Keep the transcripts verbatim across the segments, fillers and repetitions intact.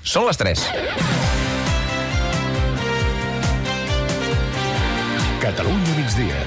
Són les tres. Catalunya migdia.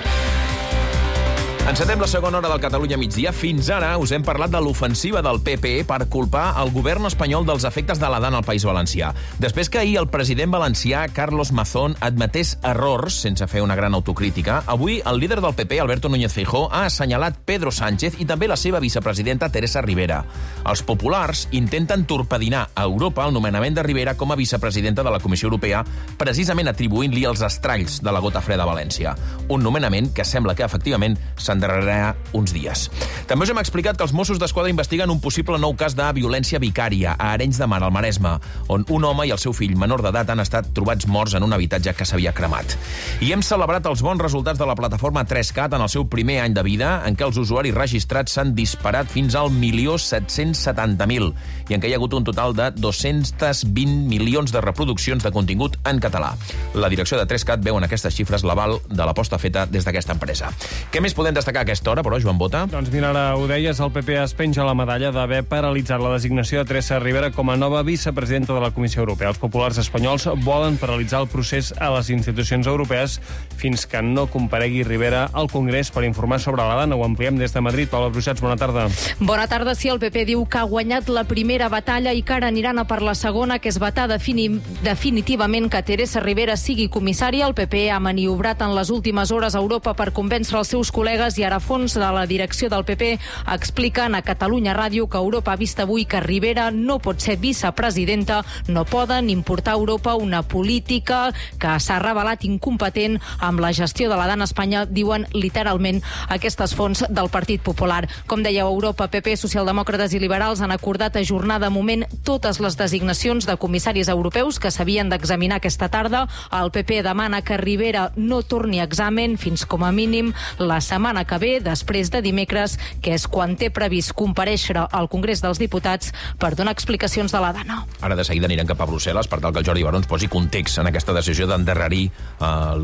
Encetem la segona hora del Catalunya migdia. Fins ara us hem parlat de l'ofensiva del P P per culpar el govern espanyol dels efectes de la D A N al País Valencià. Després que ahir el president valencià, Carlos Mazón, admetés errors sense fer una gran autocrítica, avui el líder del P P, Alberto Núñez Feijóo, ha assenyalat Pedro Sánchez i també la seva vicepresidenta, Teresa Rivera. Els populars intenten torpedinar a Europa el nomenament de Rivera com a vicepresidenta de la Comissió Europea, precisament atribuint-li els estralls de la gota freda a València. Un nomenament que sembla que, efectivament, s'endarrerarà uns dies. També us hem explicat que els Mossos d'Esquadra investiguen un possible nou cas de violència vicària a Arenys de Mar, al Maresme, on un home i el seu fill menor d'edat han estat trobats morts en un habitatge que s'havia cremat. I hem celebrat els bons resultats de la plataforma tres cat en el seu primer any de vida, en què els usuaris registrats s'han disparat fins al milió set-cents setanta mil i en què hi ha hagut un total de dos-cents vint milions de reproduccions de contingut en català. La direcció de tres cat veu en aquestes xifres l'aval de l'aposta feta des d'aquesta empresa. Què més podem destacar a aquesta hora, però, Joan Bota? Doncs mira, ara ho deies, el P P es penja la medalla d'haver paralitzat la designació de Teresa Rivera com a nova vicepresidenta de la Comissió Europea. Els populars espanyols volen paralitzar el procés a les institucions europees fins que no comparegui Rivera al Congrés per informar sobre la D A N. Ho ampliem des de Madrid. Paula Bruixats, bona tarda. Bona tarda. Sí, el P P diu que ha guanyat la primera batalla i que ara aniran a per la segona, que és vetar defini definitivament que Teresa Rivera sigui comissària. El P P ha maniobrat en les últimes hores a Europa per convèncer els seus col·legues i ara fons de la direcció del P P expliquen a Catalunya Ràdio que Europa ha vist avui que Rivera no pot ser vicepresidenta, no poden importar a Europa una política que s'ha revelat incompetent amb la gestió de la D A N a Espanya, diuen literalment aquestes fonts del Partit Popular. Com dèieu, Europa, P P, socialdemòcrates i liberals han acordat ajornar de moment totes les designacions de comissaris europeus que s'havien d'examinar aquesta tarda. El P P demana que Rivera no torni a examen fins com a mínim la setmana que ve, després de dimecres, que és quan té previst comparèixer al Congrés dels Diputats per donar explicacions de la D A N. Ara de seguida anirem cap a Brussel·les per tal que el Jordi Barons posi context en aquesta decisió d'endarrerir eh,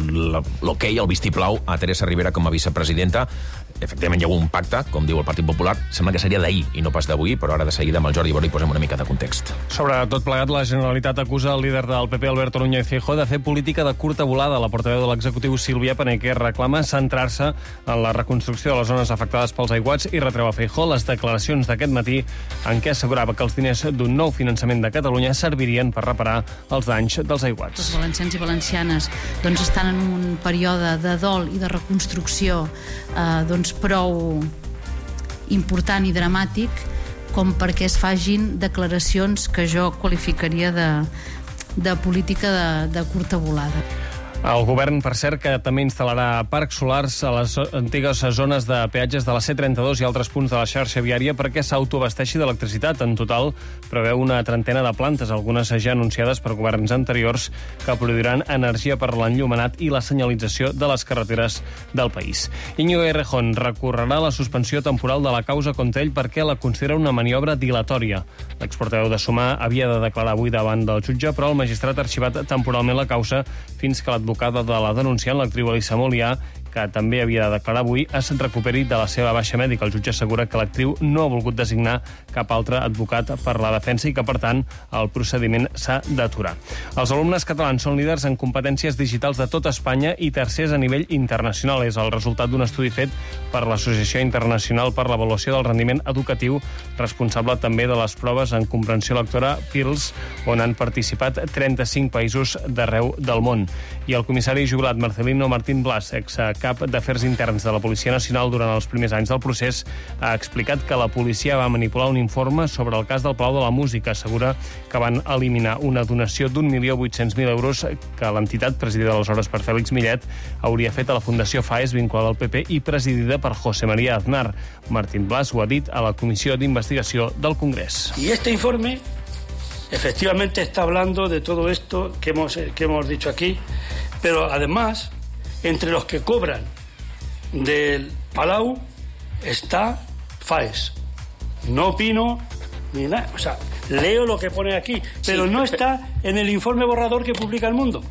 l'hoquei, el vistiplau a Teresa Rivera com a vicepresidenta. Efectivament, hi ha un pacte, com diu el Partit Popular. Sembla que seria d'ahir i no pas d'avui, però ara de seguida amb el Jordi Barons hi posem una mica de context. Sobre tot plegat, la Generalitat acusa el líder del P P, Alberto Núñez Feijóo, de fer política de curta volada. La portaveu de l'executiu, Sílvia Paneque, reclama centrar-se en la reconstrucció de les zones afectades pels aiguats i retreu a Feijóo les declaracions d'aquest matí en què assegurava que els diners d'un nou finançament de Catalunya servirien per reparar els danys dels aiguats. Els valencians i valencianes doncs, estan en un període de dol i de reconstrucció eh, doncs, prou important i dramàtic com perquè es fagin declaracions que jo qualificaria de, de política de, de curta volada. El govern, per cert, que també instal·larà parcs solars a les antigues zones de peatges de la C trenta-dos i altres punts de la xarxa viària perquè s'autoabasteixi d'electricitat. En total, preveu una trentena de plantes, algunes ja anunciades per governs anteriors, que produiran energia per l'enllumenat i la senyalització de les carreteres del país. Íñigo Errejón recorrerà la suspensió temporal de la causa contra ell perquè la considera una maniobra dilatòria. L'exportaveu de Sumar havia de declarar avui davant del jutge, però el magistrat ha arxivat temporalment la causa fins que l'advocat de la denunciant, l'actriu Elisa Molià, que també havia de declarar avui, es recuperi de la seva baixa mèdica. El jutge assegura que l'actriu no ha volgut designar cap altre advocat per la defensa i que, per tant, el procediment s'ha d'aturar. Els alumnes catalans són líders en competències digitals de tota Espanya i tercers a nivell internacional. És el resultat d'un estudi fet per l'Associació Internacional per l'Avaluació del Rendiment Educatiu, responsable també de les proves en comprensió lectora P I R L S, on han participat trenta-cinc països d'arreu del món. I el comissari jubilat Marcelino Martín Blas, ex cap d'Afers Interns de la Policia Nacional durant els primers anys del procés, ha explicat que la policia va manipular un informe sobre el cas del Palau de la Música. Assegura que van eliminar una donació d'un milió vuit-cents mil euros que l'entitat, presidida aleshores per Fèlix Millet, hauria fet a la Fundació FAES, vinculada al P P i presidida per José María Aznar. Martín Blas ho ha dit a la Comissió d'Investigació del Congrés. Y este informe efectivamente está hablando de todo esto que hemos, que hemos dicho aquí, pero además, entre los que cobran del Palau está FAES. No opino ni nada. O sea, leo lo que pone aquí, pero no está en el informe borrador que publica El Mundo.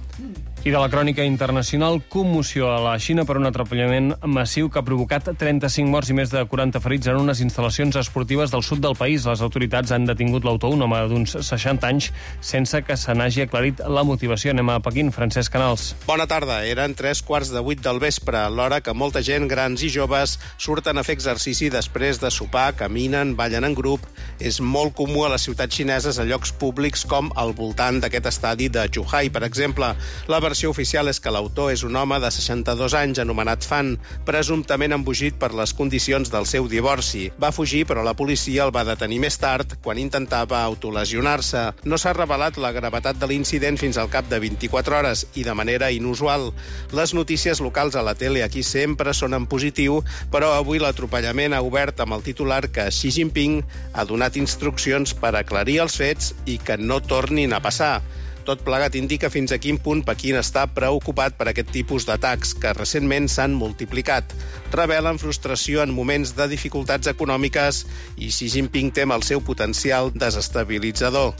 I de la crònica internacional, commoció a la Xina per un atrapallament massiu que ha provocat trenta-cinc morts i més de quaranta ferits en unes instal·lacions esportives del sud del país. Les autoritats han detingut l'autor, un home d'uns seixanta anys, sense que se n'hagi aclarit la motivació. Anem a Pequín, Francesc Canals. Bona tarda. Eren tres quarts de vuit del vespre, l'hora que molta gent, grans i joves, surten a fer exercici després de sopar, caminen, ballen en grup. És molt comú a les ciutats xineses a llocs públics com al voltant d'aquest estadi de Zhuhai, per exemple. La La versió oficial és que l'autor és un home de seixanta-dos anys anomenat Fan, presumptament embogit per les condicions del seu divorci. Va fugir, però la policia el va detenir més tard quan intentava autolesionar-se. No s'ha revelat la gravetat de l'incident fins al cap de vint-i-quatre hores i de manera inusual. Les notícies locals a la tele aquí sempre són en positiu, però avui l'atropellament ha obert amb el titular que Xi Jinping ha donat instruccions per aclarir els fets i que no tornin a passar. Tot plegat indica fins a quin punt Pequín està preocupat per aquest tipus d'atacs, que recentment s'han multiplicat. Revelen frustració en moments de dificultats econòmiques i Xi Jinping tem el seu potencial desestabilitzador.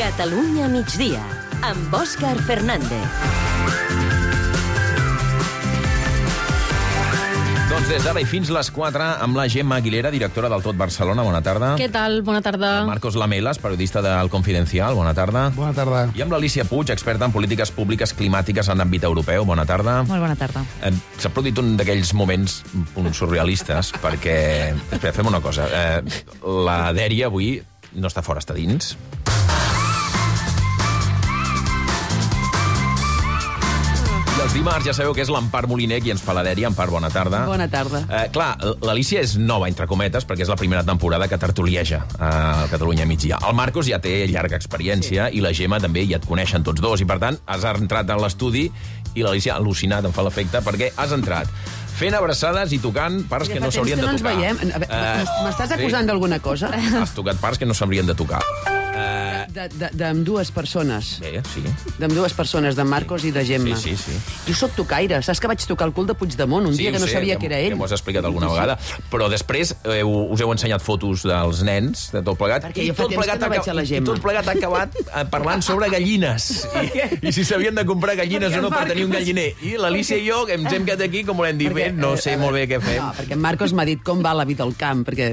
Catalunya migdia, amb Òscar Fernández. Doncs des d'ara i fins les quatre, amb la Gemma Aguilera, directora del Tot Barcelona. Bona tarda. Què tal? Bona tarda. Marcos Lamelas, periodista del Confidencial. Bona tarda. Bona tarda. I amb l'Alícia Puig, experta en polítiques públiques climàtiques en àmbit europeu. Bona tarda. Molt bona tarda. Eh, S'ha produït un d'aquells moments un surrealistes, perquè... Espera, fem una cosa. Eh, la Dèria avui no està fora, està dins. Els dimarts ja sabeu que és l'Empar Moliner qui ens fa la Dèria. Empar, bona tarda. Bona tarda. Eh, clar, l'Alícia és nova, entre cometes, perquè és la primera temporada que tertulieja a Catalunya migdia. El Marcos ja té llarga experiència, sí. I la Gemma també, ja et coneixen tots dos, i per tant has entrat a l'estudi i l'Alícia ha al·lucinat, em fa l'efecte, perquè has entrat fent abraçades i tocant parts ja que no s'haurien de no tocar. Veiem. Uh, M'estàs acusant sí. d'alguna cosa? Has tocat parts que no s'haurien de tocar. D'ambdues persones. Bé, sí. D'ambdues persones, de Marcos i de Gemma. Sí, sí, sí. Jo sóc tocaire. Saps que vaig tocar el cul de Puigdemont un sí, dia que no sé, sabia que, que era ell? Que m'ho has explicat alguna vegada. Però després heu, us heu ensenyat fotos dels nens, de tot plegat. Perquè jo fa temps que no veig a la Gemma. I tot plegat ha acabat parlant sobre gallines. I, i si s'havien de comprar gallines o no per tenir un galliner. I l'Alícia i jo ens hem quedat aquí, com volem dir, bé, no sé molt bé què fem. No, perquè en Marcos m'ha dit com va la vida al camp, perquè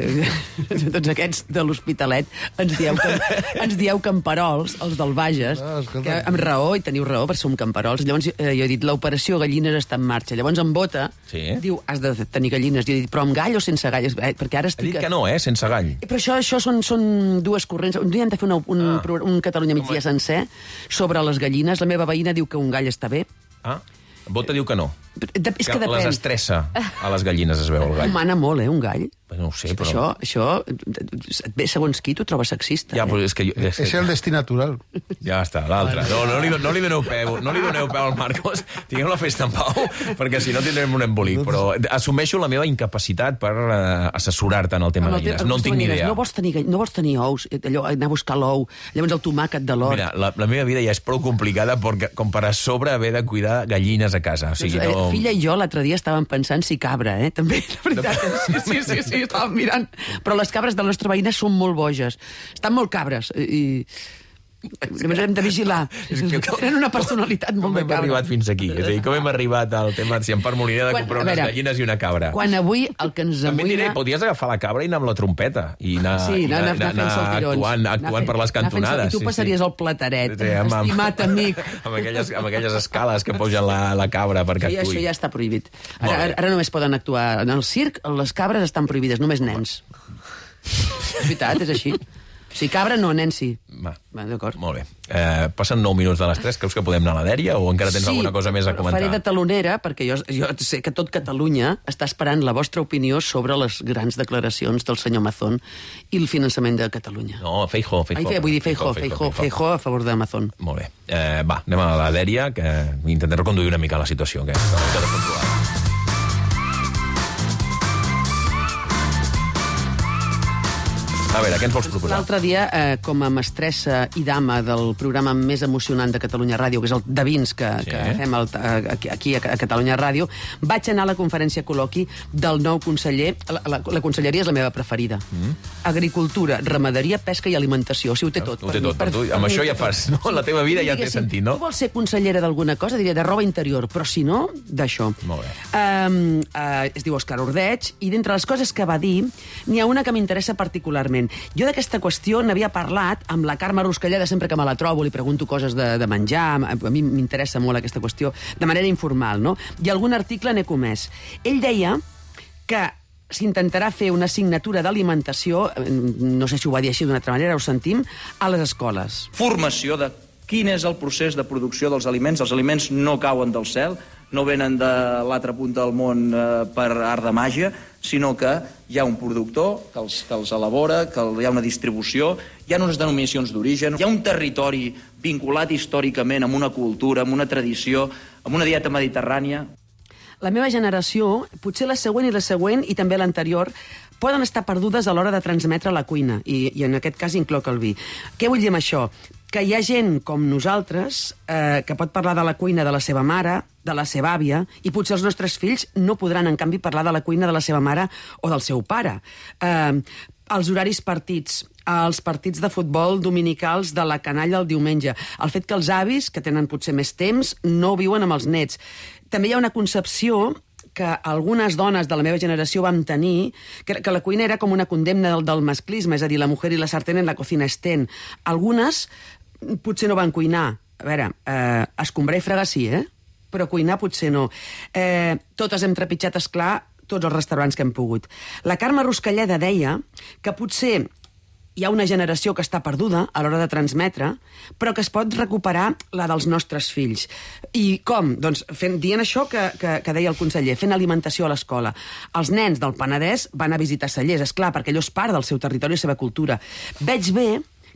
tots aquests de l'Hospitalet ens dieu, ens dieu camperols, els del Bages, no, que amb raó, i teniu raó, perquè som camperols. Llavors eh, jo he dit, l'operació gallines està en marxa. Llavors en Bota sí. diu, has de tenir gallines. Jo he dit, però amb gall o sense gall? Eh, perquè ara estic... Ha dit que no, eh, sense gall. Però això, això són, són dues corrents. Un dia hem de fer una, un, ah. un Catalunya migdia sencer sobre les gallines. La meva veïna diu que un gall està bé. Ah, Bota diu que no. De, és que, que les estressa a les gallines, es veu el gall. Mana molt, eh, un gall. No ho sé, però... Això, això et ve segons qui, t'ho trobes sexista. Ja, eh? però és que... Jo, és, és el destí natural. Ja està, l'altre. No, no, li, no li doneu peu, no li doneu peu al Marcos. Tinguem la festa en pau, perquè si no tindrem un embolic. Però assumeixo la meva incapacitat per uh, assessorar-te en el tema de gallines. No en tinc ni idea. No vols tenir, no vols tenir ous, allò, anar a buscar l'ou, llavors el tomàquet de l'hort. Mira, la, la meva vida ja és prou complicada perquè, com per a sobre haver de cuidar gallines a casa. O sigui, doncs, no... eh, filla i jo l'altre dia estàvem pensant si cabra, eh? També, la veritat. Sí, sí, sí, sí, estàvem mirant. Però les cabres de la nostra veïna són molt boges. Estan molt cabres. I... Llavors hem de vigilar. Tenen una personalitat molt de cabra. Com hem arribat fins aquí? És a dir, com hem arribat al tema si em Moliner de comprar unes gallines i una cabra? Quan avui el que ens amoïna... També diré, podies agafar la cabra i anar amb la trompeta i anar, sí, anar, anar, anar, anar, anar actuant, actuant per les cantonades. I tu passaries el plateret, sí, sí, amb, estimat amic. Amb aquelles, amb aquelles escales que posen la, la cabra perquè actuï. Això ja està prohibit. Ara, ara només poden actuar en el circ, les cabres estan prohibides, només nens. És veritat, és així. Si cabra, no, nen, sí. Va, Va d'acord. Molt bé. Eh, passen nou minuts de les tres. Creus que podem anar a la Dèria o encara tens sí, alguna cosa més a comentar? Sí, faré de talonera, perquè jo, jo sé que tot Catalunya està esperant la vostra opinió sobre les grans declaracions del senyor Mazón i el finançament de Catalunya. No, Feijóo, Feijóo. Ai, vull dir Feijóo, Feijóo, Feijóo a favor de Mazón. Molt bé. Eh, va, anem a la Dèria, que intentaré reconduir una mica la situació, que és una mica descontrolada. A veure, què ens vols proposar? L'altre dia, eh, com a mestressa i dama del programa més emocionant de Catalunya Ràdio, que és el de vins que, sí. que fem el, aquí, aquí a Catalunya Ràdio, vaig anar a la conferència col·loqui del nou conseller. La, la, la conselleria és la meva preferida. Mm. Agricultura, ramaderia, pesca i alimentació. O sigui, ho té tot. Ho té tot. Per, per tu, amb això ja fas, no? La teva vida ja té sentit, no? Tu vols ser consellera d'alguna cosa, diria de roba interior, però si no, d'això. Molt bé. Um, uh, es diu Òscar Ordeig, i d'entre les coses que va dir, n'hi ha una que m'interessa particularment. Jo d'aquesta qüestió n'havia parlat amb la Carme Ruscalleda, sempre que me la trobo, li pregunto coses de, de menjar, a mi m'interessa molt aquesta qüestió, de manera informal, no? I algun article n'he comès. Ell deia que s'intentarà fer una assignatura d'alimentació, no sé si ho va dir així d'una altra manera, ho sentim, a les escoles. Formació de quin és el procés de producció dels aliments. Els aliments no cauen del cel, no venen de l'altra punta del món eh, per art de màgia, sinó que hi ha un productor que els, que els elabora, que hi ha una distribució, hi ha unes denominacions d'origen, hi ha un territori vinculat històricament amb una cultura, amb una tradició, amb una dieta mediterrània. La meva generació, potser la següent i la següent, i també l'anterior, poden estar perdudes a l'hora de transmetre la cuina, i, i en aquest cas incloc el vi. Què vull dir amb això? Que hi ha gent com nosaltres eh, que pot parlar de la cuina de la seva mare, de la seva àvia, i potser els nostres fills no podran, en canvi, parlar de la cuina de la seva mare o del seu pare. Eh, els horaris partits, els partits de futbol dominicals de la canalla el diumenge, el fet que els avis, que tenen potser més temps, no viuen amb els nets. També hi ha una concepció que algunes dones de la meva generació vam tenir, que, que la cuina era com una condemna del, del masclisme, és a dir, la mujer i la sartén en la cocina estén. Algunes potser no van cuinar. A veure, eh, escombrar i fregar sí, eh? Però cuinar potser no. Eh, totes hem trepitjat, esclar, tots els restaurants que hem pogut. La Carme Ruscalleda deia que potser hi ha una generació que està perduda a l'hora de transmetre, però que es pot recuperar la dels nostres fills. I com? Doncs fent, dient això que, que, que deia el conseller, fent alimentació a l'escola. Els nens del Penedès van a visitar Cellers, esclar, perquè allò és part del seu territori i la seva cultura. Veig bé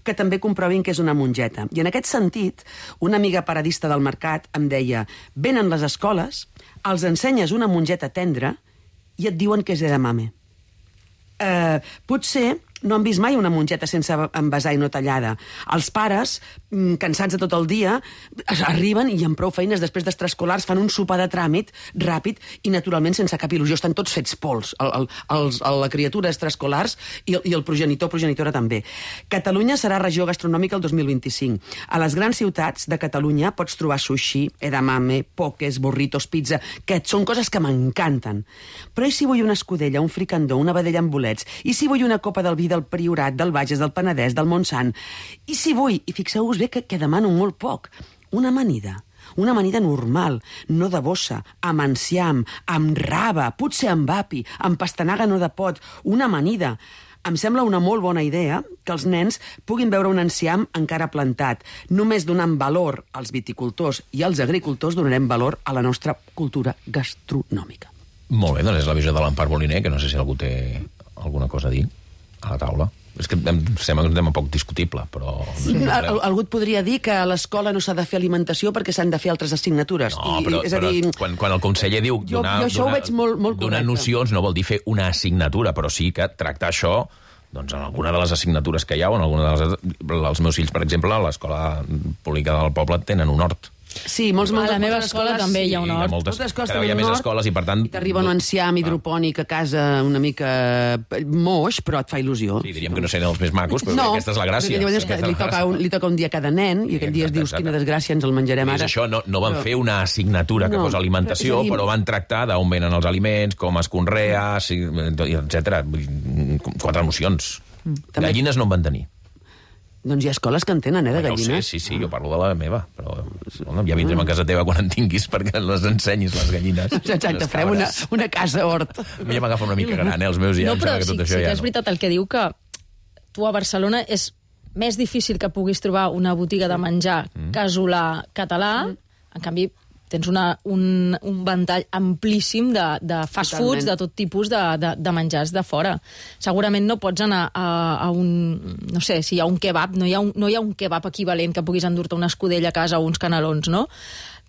que també comprovin que és una mongeta. I en aquest sentit, una amiga paradista del mercat em deia, venen les escoles, els ensenyes una mongeta tendra i et diuen que és edamame. Eh, potser no han vist mai una mongeta sense envasar i no tallada. Els pares, cansats de tot el dia, arriben i amb prou feines després d'extraescolars fan un sopar de tràmit ràpid i naturalment sense cap il·lusió. Estan tots fets pols, el, el, els, la criatura extraescolars i, i el progenitor progenitora també. Catalunya serà regió gastronòmica el dos mil vint-i-cinc. A les grans ciutats de Catalunya pots trobar sushi, edamame, pokés, burritos, pizza, que són coses que m'encanten. Però i si vull una escudella, un fricandó, una vedella amb bolets? I si vull una copa del vi del Priorat, del Bages, del Penedès, del Montsant? I si vull, i fixeu-vos bé que, que demano molt poc, una amanida, una amanida normal, no de bossa, amb enciam, amb raba, potser amb api, amb pastanaga no de pot, una amanida. Em sembla una molt bona idea que els nens puguin veure un enciam encara plantat. Només donant valor als viticultors i als agricultors donarem valor a la nostra cultura gastronòmica. Molt bé, doncs és la visió de l'Empar Moliner, que no sé si algú té alguna cosa a dir a la taula. És que em sembla que és un tema poc discutible, però... Sí. Al, algú et podria dir que a l'escola no s'ha de fer alimentació perquè s'han de fer altres assignatures. No, I, però, és a dir, però quan, quan el conseller diu jo, donar, jo això donar, ho veig molt, molt donar correcte. nocions no vol dir fer una assignatura, però sí que tractar això doncs en alguna de les assignatures que hi ha, o en alguna de les... Els meus fills, per exemple, a l'escola pública del poble tenen un hort. Sí, molts, a molts, la meva escola també hi ha un hort. Moltes, moltes escoles cada dia més escoles i, per tant... I t'arriba un enciam hidropònic a casa una mica moix, però et fa il·lusió. Sí, diríem que no serien els més macos, però no, aquesta és la gràcia. No, perquè li toca, un, li toca un dia a cada nen, i aquest dia es dius, quina desgràcia, ens el menjarem ara. És això, no, no van però... fer una assignatura que no, posa alimentació, però, dir... però van tractar d'on venen els aliments, com es conrea, etcètera. Quatre nocions. També... Gallines no en van tenir. Doncs hi ha escoles que en tenen, eh, de gallines. No sé, sí, sí, jo parlo de la meva, però bueno, ja vindrem a casa teva quan en tinguis perquè les ensenyis, les gallines. Exacte, farem una, una casa hort. A mi ja m'agafa una mica gran, eh, els meus ja. No, però que tot sí, això sí ja que és veritat el que diu, que tu a Barcelona és més difícil que puguis trobar una botiga de menjar mm. casolà català, mm. en canvi tens una, un, un ventall amplíssim de, de fast Totalment. foods, de tot tipus de, de, de menjars de fora. Segurament no pots anar a, a un... No sé, si hi ha un kebab, no hi ha un, no hi ha un kebab equivalent que puguis endur-te una escudella a casa o uns canelons, no?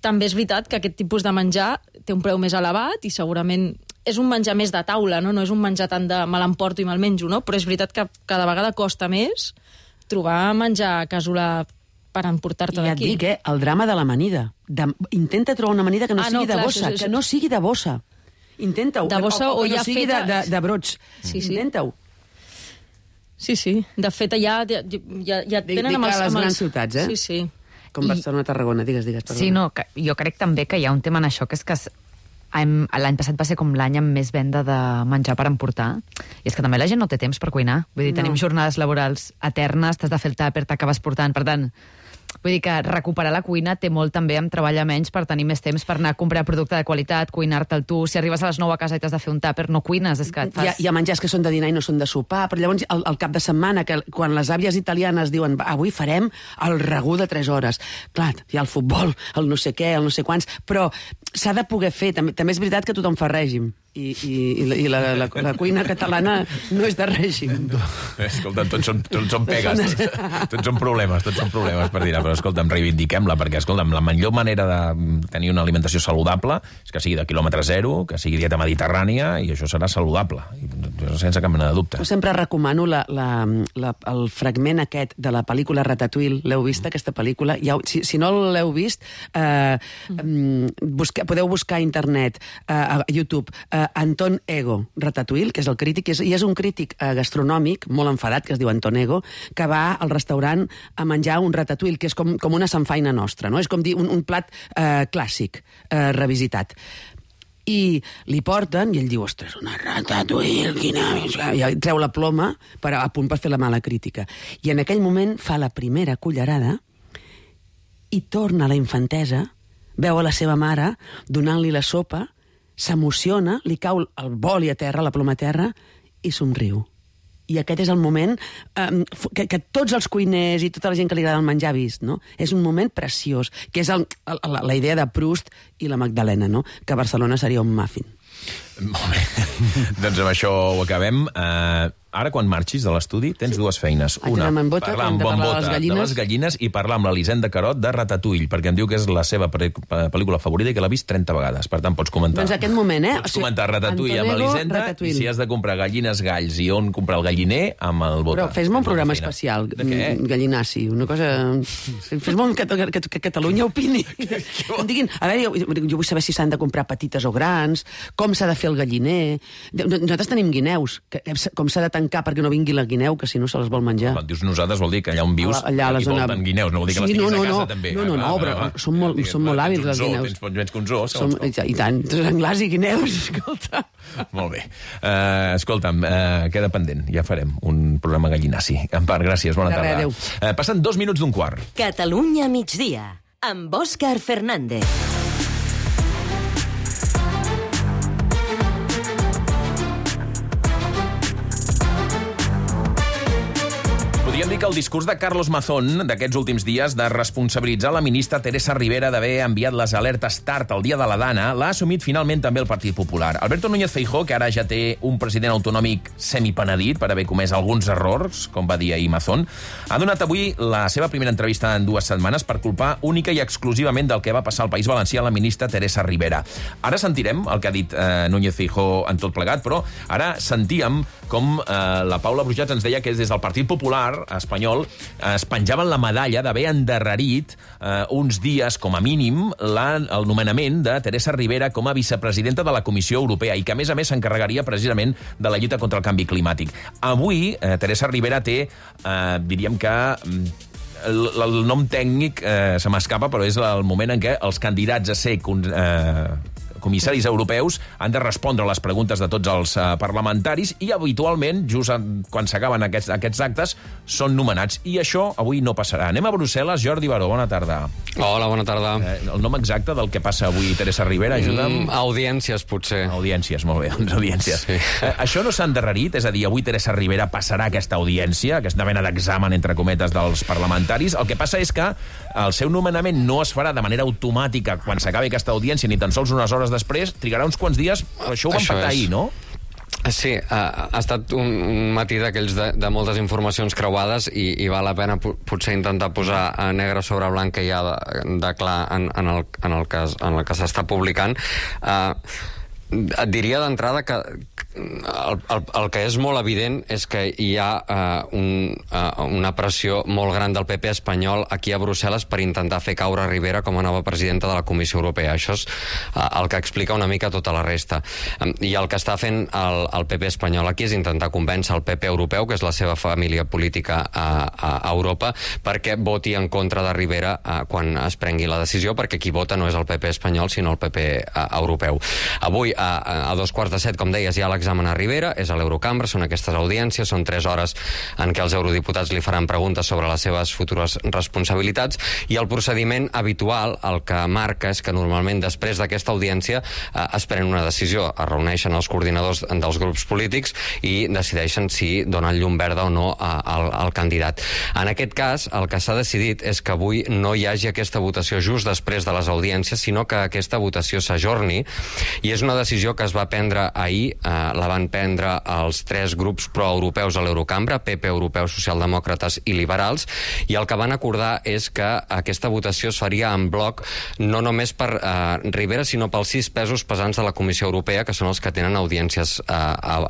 També és veritat que aquest tipus de menjar té un preu més elevat i segurament és un menjar més de taula, no? No és un menjar tant de me l'emporto i me'l menjo, no? Però és veritat que cada vegada costa més trobar menjar casolà per emportar-te d'aquí. I et dic, eh, el drama de l'amanida. De... Intenta trobar una amanida que no ah, sigui no, de clar, bossa, això, això... que no sigui de bossa. Intenta-ho. De bossa o, o, o ja no sigui feta... de, de, de brots. Sí, sí. Intenta-ho. Sí, sí. De fet, ja, ja, ja, ja tenen dic amb els... a les amb grans els... ciutats, eh? Sí, sí. Com Barcelona, Tarragona, digues, digues. Perdona. Sí, no, que jo crec també que hi ha un tema en això, que és que l'any passat va ser com l'any amb més venda de menjar per emportar, i és que també la gent no té temps per cuinar. Vull dir, no. Tenim jornades laborals eternes, t'has de fer el tàper, t'acabes portant, per tant... Vull dir que recuperar la cuina té molt també amb treballar menys per tenir més temps per anar a comprar producte de qualitat, cuinar-te'l tu. Si arribes a les nou a casa i t'has de fer un tàper, no cuines, és que et fas... Hi ha, hi ha menjars que són de dinar i no són de sopar, però llavors el, el cap de setmana, que quan les àvies italianes diuen avui farem el ragú de tres hores. Clar, hi ha el futbol, el no sé què, el no sé quants, però s'ha de poder fer. També, també és veritat que tothom fa règim. I, i, i la, la, la cuina catalana no és de règim. Escolta'm, tots són, tots són pegues, tots, tots són problemes, tots són problemes per dir-ho, però escolta'm, reivindiquem-la, perquè escolta'm, la millor manera de tenir una alimentació saludable és que sigui de quilòmetre zero, que sigui dieta mediterrània, i això serà saludable, sense cap mena de dubte. Jo sempre recomano la, la, la, el fragment aquest de la pel·lícula Ratatouille. L'heu vist, aquesta pel·lícula? Ja, si, si no l'heu vist, eh, busque, podeu buscar a internet, eh, a YouTube, eh, Anton Ego, Ratatouille, que és el crític, i és, i és un crític eh, gastronòmic molt enfadat, que es diu Anton Ego, que va al restaurant a menjar un ratatouille, que és com, com una samfaina nostra, no? És com dir un, un plat eh, clàssic, eh, revisitat. I li porten, i ell diu, ostres, una ratatouille, quina... I treu la ploma per, a punt per fer la mala crítica. I en aquell moment fa la primera cullerada i torna a la infantesa, veu a la seva mare donant-li la sopa, s'emociona, li cau el boli a terra, la ploma a terra, i somriu. I aquest és el moment eh, que, que tots els cuiners i tota la gent que li agrada el menjar ha vist, no? És un moment preciós, que és el, la, la idea de Proust i la Magdalena, no? Que Barcelona seria un muffin. Molt bé. Doncs amb això ho acabem. Uh, ara, quan marxis de l'estudi, tens dues feines. Una, bota, parlar amb Bon Bota de, de les gallines i parlar amb l'Elisenda Carot de Ratatouille, perquè em diu que és la seva pel·lícula favorita i que l'ha vist trenta vegades. Per tant, pots comentar. Doncs aquest moment, eh? Pots comentar Ratatouille amb l'Elisenda, i si has de comprar gallines galls i on comprar el galliner, amb el Bota. Però fes-me un programa especial, Gallinaci, una cosa... Fes-me que, que, que Catalunya opini. Em diguin, a veure, jo, jo vull saber si s'han de comprar petites o grans, com s'ha de fer el galliner... Nosaltres tenim guineus, que, com s'ha de tancar perquè no vingui la guineu, que si no se les vol menjar. Quan dius nosaltres vol dir que allà on vius allà a la zona... volten guineus, no vol dir que sí, les tinguis no, no, a casa no, també. No, no, no, no, però són molt, són molt hàbils les guineus. Tens menys que un zoo, som, I tant, senglars i guineus, escolta. Molt bé. Uh, escolta'm, uh, queda pendent, ja farem un programa gallinaci. En part, gràcies, bona tarda. Adéu. Uh, passen dos minuts d'un quart. Catalunya migdia, amb Òscar Fernández. Podríem dir que el discurs de Carlos Mazón d'aquests últims dies de responsabilitzar la ministra Teresa Rivera d'haver enviat les alertes tard el dia de la Dana l'ha assumit finalment també el Partit Popular. Alberto Núñez Feijóo, que ara ja té un president autonòmic semipenedit per haver comès alguns errors, com va dir ahir Mazón, ha donat avui la seva primera entrevista en dues setmanes per culpar única i exclusivament del que va passar al País Valencià a la ministra Teresa Rivera. Ara sentirem el que ha dit eh, Núñez Feijóo en tot plegat, però ara sentíem com eh, la Paula Brujats ens deia que des del Partit Popular espanyol es penjaven la medalla d'haver endarrerit eh, uns dies, com a mínim, la, el nomenament de Teresa Rivera com a vicepresidenta de la Comissió Europea i que, a més a més, s'encarregaria precisament de la lluita contra el canvi climàtic. Avui, eh, Teresa Rivera té, eh, diríem que... El, el nom tècnic eh, se m'escapa, però és el moment en què els candidats a ser eh, comissaris europeus han de respondre a les preguntes de tots els uh, parlamentaris i habitualment, just quan s'acaben aquests, aquests actes, són nomenats. I això avui no passarà. Anem a Brussel·les. Jordi Baró, bona tarda. Hola, bona tarda. Eh, el nom exacte del que passa avui, Teresa Rivera, ajuda'm. Mm, audiències, potser. Audiències, molt bé, doncs audiències. Sí. Eh, això no s'ha endarrerit? És a dir, avui Teresa Rivera passarà aquesta audiència, aquesta mena d'examen, entre cometes, dels parlamentaris. El que passa és que el seu nomenament no es farà de manera automàtica quan s'acabi aquesta audiència, ni tan sols unes hores després, trigarà uns quants dies, però això ho van pactar ahir, no? Sí, ha, ha estat un, un matí d'aquells de, de moltes informacions creuades i, i val la pena potser intentar posar negre sobre blanc que hi ha de, de clar en, en, el, en, el cas, en el que s'està publicant. Uh, et diria d'entrada que el, el, el que és molt evident és que hi ha uh, un, uh, una pressió molt gran del P P espanyol aquí a Brussel·les per intentar fer caure Rivera com a nova presidenta de la Comissió Europea. Això és uh, el que explica una mica tota la resta. Um, I el que està fent el, el P P espanyol aquí és intentar convèncer el P P europeu, que és la seva família política a, a, a Europa, perquè voti en contra de Rivera uh, quan es prengui la decisió, perquè qui vota no és el P P espanyol, sinó el P P uh, europeu. Avui, a, a dos quarts de set, com deies, hi ha l'examen a Rivera, és a l'Eurocambra, són aquestes audiències, són tres hores en què els eurodiputats li faran preguntes sobre les seves futures responsabilitats, i el procediment habitual el que marca és que normalment després d'aquesta audiència eh, es pren una decisió, es reuneixen els coordinadors dels grups polítics i decideixen si donen llum verda o no a, al, al candidat. En aquest cas, el que s'ha decidit és que avui no hi hagi aquesta votació just després de les audiències, sinó que aquesta votació s'ajorni, i és una decisió que es va prendre ahir, eh, la van prendre els tres grups proeuropeus a l'Eurocambra, P P Europeu, Socialdemòcrates i Liberals, i el que van acordar és que aquesta votació es faria en bloc no només per eh, Rivera, sinó pels sis pesos pesants de la Comissió Europea, que són els que tenen audiències eh,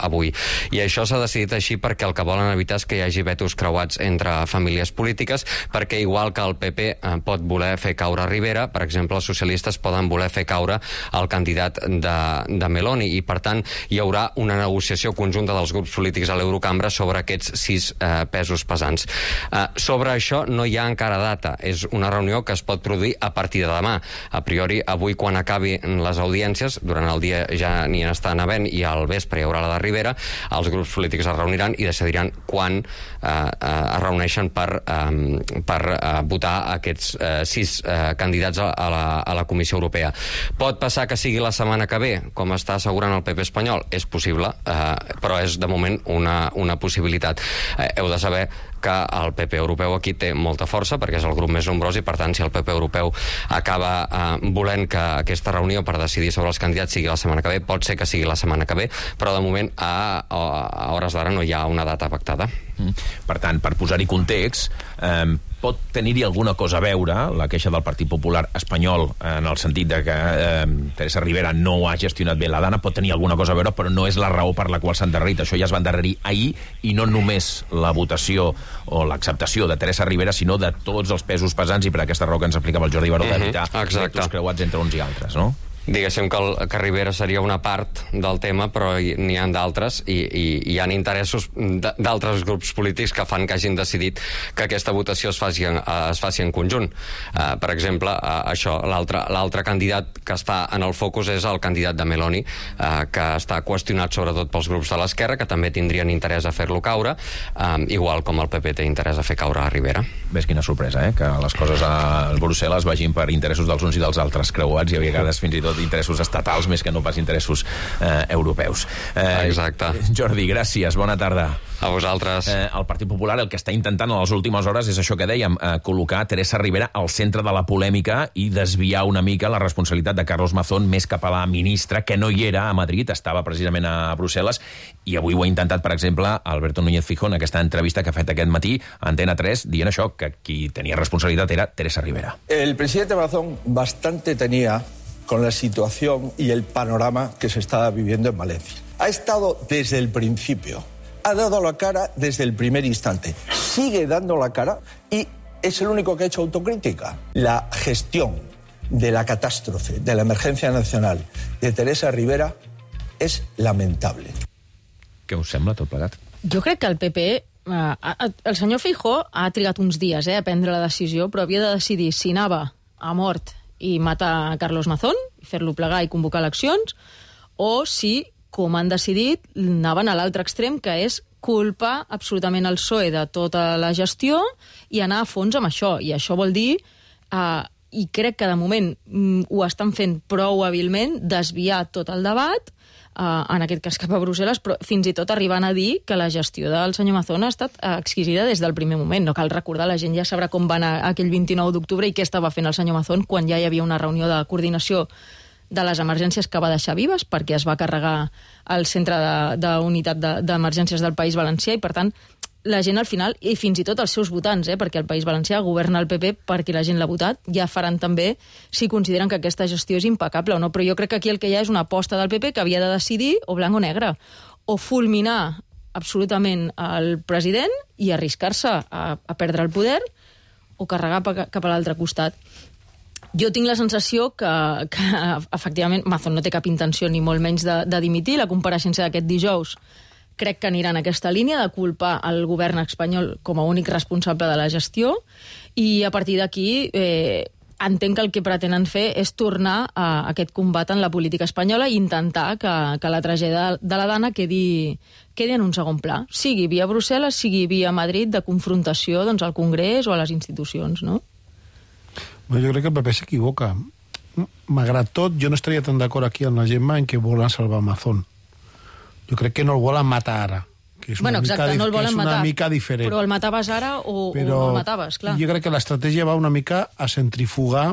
avui. I això s'ha decidit així perquè el que volen evitar és que hi hagi vetos creuats entre famílies polítiques, perquè igual que el P P eh, pot voler fer caure Rivera, per exemple, els socialistes poden voler fer caure el candidat de, de Meloni, i per tant hi haurà una negociació conjunta dels grups polítics a l'Eurocambra sobre aquests sis eh, pesos pesants. Eh, sobre això no hi ha encara data, és una reunió que es pot produir a partir de demà. A priori, avui quan acabi les audiències, durant el dia ja n'hi estan havent i al vespre hi haurà la de Rivera, els grups polítics es reuniran i decidiran quan eh, eh, es reuneixen per, eh, per eh, votar aquests eh, sis eh, candidats a, a, la, a la Comissió Europea. Pot passar que sigui la setmana que ve, com està assegurant el P P espanyol? És possible, eh, però és de moment una, una possibilitat. Eh, heu de saber que el P P europeu aquí té molta força, perquè és el grup més nombrós, i per tant, si el P P europeu acaba eh, volent que aquesta reunió per decidir sobre els candidats sigui la setmana que ve, pot ser que sigui la setmana que ve, però de moment a, a hores d'ara no hi ha una data pactada. Mm. Per tant, per posar-hi context, eh, pot tenir-hi alguna cosa a veure la queixa del Partit Popular espanyol en el sentit de que eh, Teresa Rivera no ha gestionat bé la Dana, pot tenir alguna cosa a veure, però no és la raó per la qual s'ha endarrerit. Això ja es va endarrerir ahir, i no només la votació o l'acceptació de Teresa Rivera, sinó de tots els pesos pesants, i per aquesta raó que ens explicava el Jordi Baró, d'evitar mm-hmm, vetos creuats entre uns i altres, no? Diguéssim que, el, que Rivera seria una part del tema, però n'hi ha d'altres, i, i hi ha interessos d'altres grups polítics que fan que hagin decidit que aquesta votació es faci en, es faci en conjunt. Uh, per exemple, uh, això, l'altre candidat que està en el focus és el candidat de Meloni, uh, que està qüestionat sobretot pels grups de l'esquerra, que també tindrien interès a fer-lo caure, um, igual com el P P té interès a fer caure a Rivera. Ves quina sorpresa, eh? Que les coses a Brussel·les vagin per interessos dels uns i dels altres creuats, i a vegades fins i tot interessos estatals més que no pas interessos eh, europeus. Eh, Exacte. Jordi, gràcies, bona tarda. A vosaltres. Eh, el Partit Popular el que està intentant a les últimes hores és això que dèiem, eh, col·locar Teresa Rivera al centre de la polèmica i desviar una mica la responsabilitat de Carlos Mazón més cap a la ministra, que no hi era a Madrid, estava precisament a Brussel·les, i avui ho ha intentat, per exemple, Alberto Núñez Feijóo en aquesta entrevista que ha fet aquest matí a Antena tres, dient això, que qui tenia responsabilitat era Teresa Rivera. El presidente Mazón bastante tenía con la situación y el panorama que se estaba viviendo en Valencia. Ha estado desde el principio, ha dado la cara desde el primer instante, sigue dando la cara y es el único que ha hecho autocrítica. La gestión de la catástrofe, de la emergencia nacional de Teresa Rivera és lamentable. Què us sembla tot plegat? Jo crec que el P P... Eh, el senyor Feijóo ha trigat uns dies eh, a prendre la decisió, però havia de decidir si anava a mort i matar a Carlos Mazón, i fer-lo plegar i convocar eleccions, o si, com han decidit, anaven a l'altre extrem, que és culpar absolutament el P S O E de tota la gestió i anar a fons amb això. I això vol dir, eh, i crec que de moment mm, ho estan fent prou hàbilment, desviar tot el debat, Uh, en aquest cas cap a Brussel·les, però fins i tot arribant a dir que la gestió del senyor Mazón ha estat uh, exquisida des del primer moment. No cal recordar, la gent ja sabrà com va anar aquell vint-i-nou d'octubre i què estava fent el senyor Mazón quan ja hi havia una reunió de coordinació de les emergències que va deixar vives, perquè es va carregar el centre d'unitat de, d'emergències del País Valencià, i per tant la gent al final, i fins i tot els seus votants, eh, perquè el País Valencià governa el P P perquè la gent l'ha votat, ja faran també si consideren que aquesta gestió és impecable o no. Però jo crec que aquí el que hi ha és una aposta del P P que havia de decidir o blanc o negre, o fulminar absolutament el president i arriscar-se a, a perdre el poder o carregar cap a l'altre costat. Jo tinc la sensació que, que efectivament, Mazón no té cap intenció ni molt menys de, de dimitir. La compareixença d'aquest dijous crec que anirà en aquesta línia de culpar el govern espanyol com a únic responsable de la gestió i a partir d'aquí eh, entenc que el que pretenen fer és tornar a aquest combat en la política espanyola i intentar que, que la tragèdia de la Dana quedi, quedi en un segon pla, sigui via Brussel·les, sigui via Madrid, de confrontació doncs, al Congrés o a les institucions, no? Bueno, jo crec que el P P s'equivoca. Malgrat tot, jo no estaria tan d'acord aquí amb la Gemma en que volen salvar Mazón. Jo crec que no el volen matar ara, que és una, bueno, exacte, mica, no el volen que és una matar, mica diferent. Però el mataves ara o, però o no el mataves, clar. Jo crec que l'estratègia va una mica a centrifugar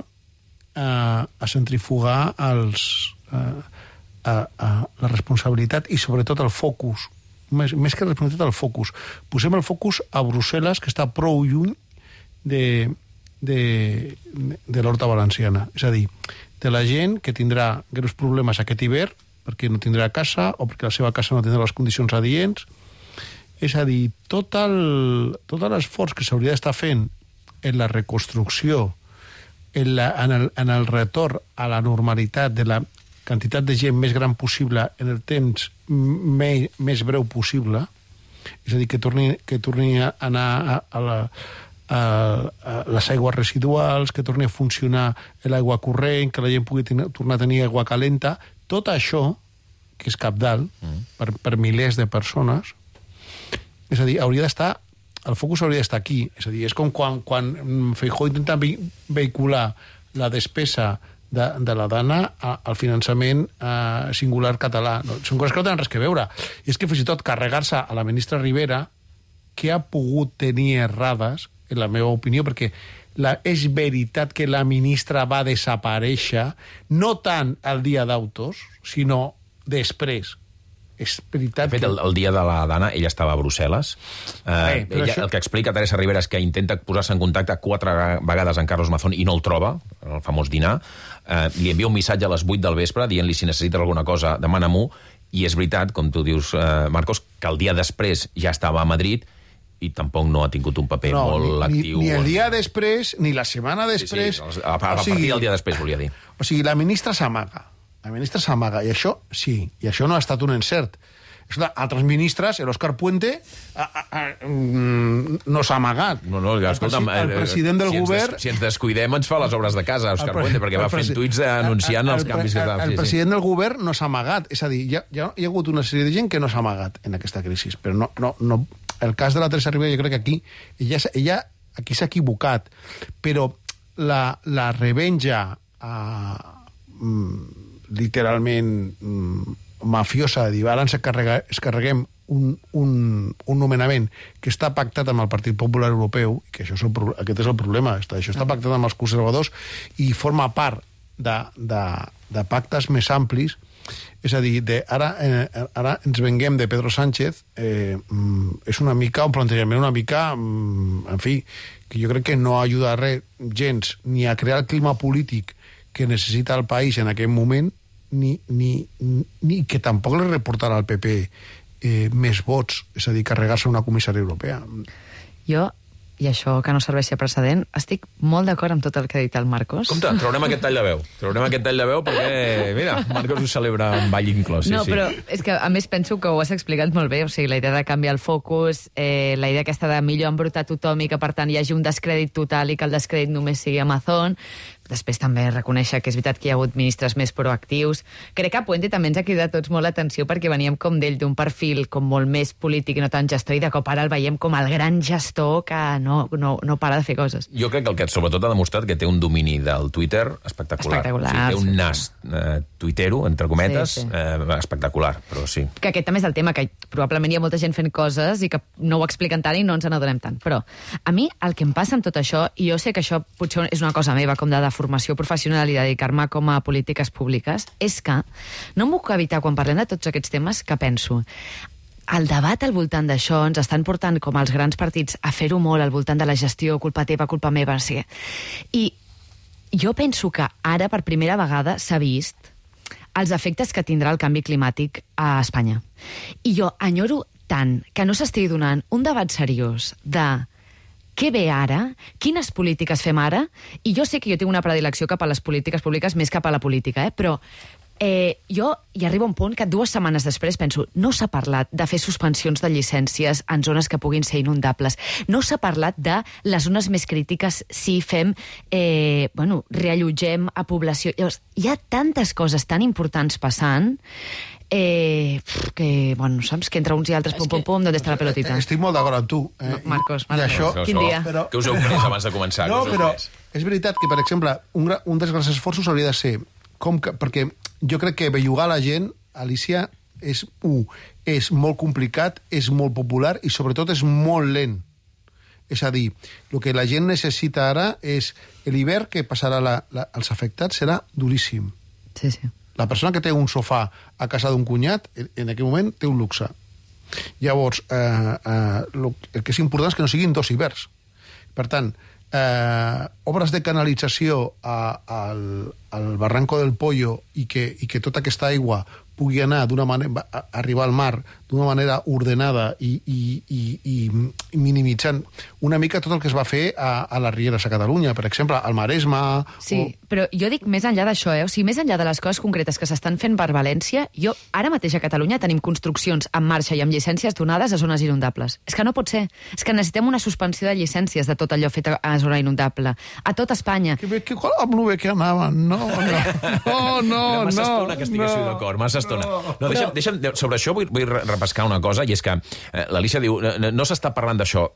a, a centrifugar els, a, a, a la responsabilitat i sobretot el focus, més, més que responsabilitat el focus. Posem el focus a Brussel·les, que està prou lluny de, de, de l'horta valenciana. És a dir, de la gent que tindrà greus problemes aquest hivern perquè no tindrà casa o perquè la seva casa no tindrà les condicions adients. És a dir, tot el, tot l'esforç que s'hauria d'estar fent en la reconstrucció, en, la, en, el, en el retorn a la normalitat de la quantitat de gent més gran possible en el temps me, més breu possible, és a dir, que torni, que torni a anar a, a, la, a, a les aigües residuals, que torni a funcionar l'aigua corrent, que la gent pugui tenir, tornar a tenir aigua calenta. Tot això, que és cabdal mm. per, per milers de persones, és a dir, hauria d'estar, el focus hauria d'estar aquí. És a dir, és com quan, quan Feijóo intenta vehicular la despesa de, de la Dana al finançament eh, singular català. No, són coses que no tenen res que veure. I és que fins i tot carregar-se a la ministra Rivera, que ha pogut tenir errades, en la meva opinió, perquè La, és veritat que la ministra va desaparèixer no tant el dia d'autos, sinó després. És veritat de fet, que... el, el dia de la Dana, ella estava a Brussel·les. Eh, eh, ella, això... El que explica Teresa Rivera és que intenta posar-se en contacte quatre vegades amb Carlos Mazón i no el troba, el famós dinar. Eh, li envia un missatge a les vuit del vespre dient-li si necessita alguna cosa, demana-m'ho. I és veritat, com tu dius, eh, Marcos, que el dia després ja estava a Madrid i tampoc no ha tingut un paper no, molt ni, actiu. Ni el dia després, ni la setmana després... Sí, sí, a, a, a partir del dia després, volia dir. O sigui, la ministra s'amaga. La ministra s'amaga, i això, sí, i això no ha estat un encert. Escolta, altres ministres, l'Òscar Puente, a, a, a, no s'ha amagat. No, no, escolta, el, el president del si govern... Ens, si ens descuidem, ens fa les obres de casa, Òscar Puente, perquè va fent tuits anunciant el, el, els canvis que estava... El, el sí, president sí. del govern no s'ha amagat. És a dir, hi ha, hi ha, hi ha hagut una sèrie de gent que no s'ha amagat en aquesta crisi, però no... no, no el cas de la Teresa Rivera, jo crec que aquí ella, ella aquí s'ha equivocat, però la, la revenja uh, mm, literalment mm, mafiosa de dir, ara ens carrega, es carreguem un, un, un nomenament que està pactat amb el Partit Popular Europeu, que això és el, aquest és el problema, està, això està pactat amb els conservadors i forma part de, de, de pactes més amplis. És a dir, de, ara, eh, ara ens venguem de Pedro Sánchez, eh, mm, és una mica un plantejament una mica, mm, en fi, que jo crec que no ajuda a res gens, ni a crear el clima polític que necessita el país en aquest moment, ni, ni, ni que tampoc li reportarà al P P eh, més vots, és a dir, carregar-se una comissària europea. Jo, i això que no serveixi a precedent, estic molt d'acord amb tot el que ha dit el Marcos. Compte, traurem aquest tall de veu. Traurem aquest tall de veu perquè, mira, Marcos ho celebra amb ball inclòs. Sí, no, sí. però és que, a més, penso que ho has explicat molt bé. O sigui, la idea de canviar el focus, eh, la idea aquesta de millor embrutar tothom i que, per tant, hi hagi un descrèdit total i que el descrèdit només sigui Amazon. Després també reconèixer que és veritat que hi ha hagut ministres més proactius. Crec que Puente també ens ha cridat tots molt l'atenció perquè veníem com d'ell d'un perfil com molt més polític i no tan gestor, i de cop ara el veiem com el gran gestor que no, no, no para de fer coses. Jo crec que el que sobretot ha demostrat que té un domini del Twitter espectacular. Espectacular. O sigui, té un nas eh, tuitero, entre cometes, sí, sí. Eh, espectacular, però sí. Que aquest també és el tema, que probablement hi ha molta gent fent coses i que no ho expliquen tant i no ens n'adonem tant. Però a mi el que em passa amb tot això, i jo sé que això potser és una cosa meva, com de formació professional i dedicar-me com a polítiques públiques, és que no em puc evitar, quan parlem de tots aquests temes, que penso el debat al voltant d'això ens estan portant com els grans partits a fer-ho molt al voltant de la gestió, culpa teva, culpa meva, no sé què. I jo penso que ara, per primera vegada, s'ha vist els efectes que tindrà el canvi climàtic a Espanya. I jo enyoro tant que no s'estigui donant un debat seriós de què ve ara, quines polítiques fem ara, i jo sé que jo tinc una predilecció cap a les polítiques públiques més cap a la política, eh? però eh, jo hi arriba un punt que dues setmanes després penso, no s'ha parlat de fer suspensions de llicències en zones que puguin ser inundables, no s'ha parlat de les zones més crítiques si fem, eh, bueno, reallotgem a població. Llavors, hi ha tantes coses tan importants passant Eh, que, bueno, saps? Que entre uns i altres, pum, pum, pum, d'on està la pelotita? Estic molt d'acord amb tu. Eh? No, Marcos, Marcos. I això, quin dia? Però... Què us heu pres abans de començar? No, però és veritat que, per exemple, un, un dels grans esforços hauria de ser, com que, perquè jo crec que bellugar la gent, Alicia, és, un, és molt complicat, és molt popular i, sobretot, és molt lent. És a dir, el que la gent necessita ara és l'hivern que passarà la, la, els afectats serà duríssim. Sí, sí. La persona que té un sofà a casa d'un cunyat, en aquell moment té un luxe. Llavors, eh, eh, el que és important és que no siguin dos hiverns. Per tant, eh, obres de canalització a, a, al, al barranco del Pollo i que, i que tota aquesta aigua pugui anar d'una manera, arribar al mar d'una manera ordenada i, i, i, i minimitzant una mica tot el que es va fer a, a les rieres a Catalunya, per exemple, al Maresme... Sí, o... però jo dic més enllà d'això, eh? O sigui, més enllà de les coses concretes que s'estan fent per València, jo ara mateix a Catalunya tenim construccions en marxa i amb llicències donades a zones inundables. És que no pot ser. És que necessitem una suspensió de llicències de tot allò fet a, a zona inundable. A tot Espanya. Que bé, que qual amb lo bé que anaven. No, no, no, no. Massa no, estona que estiguéssiu no, d'acord, massa estona. No, no, deixa'm, deixa'm, sobre això vull, vull repescar una cosa, i és que eh, l'Alicia diu, no, no s'està parlant d'això.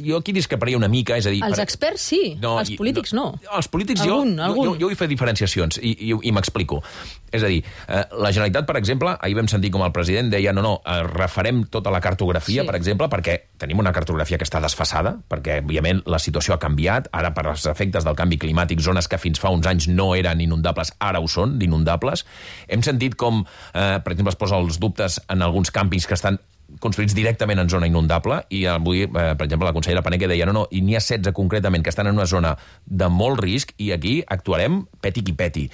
Jo aquí discreparia una mica, és a dir... Els per... experts sí, no, els polítics no. no. Els polítics algun, jo, algun. jo, jo vull fer diferenciacions, i, i, i m'explico. És a dir, eh, la Generalitat, per exemple, ahir vam sentir com el president deia no, no, eh, refarem tota la cartografia, sí. per exemple, perquè tenim una cartografia que està desfasada, perquè, òbviament, la situació ha canviat, ara per als efectes del canvi climàtic, zones que fins fa uns anys no eren inundables, ara ho són, d'inundables. Hem sentit com, eh, per exemple, es posa els dubtes en alguns càmpings que estan construïts directament en zona inundable, i avui, eh, per exemple, la consellera Paneque deia no, no, i n'hi ha setze concretament que estan en una zona de molt risc, i aquí actuarem peti qui peti.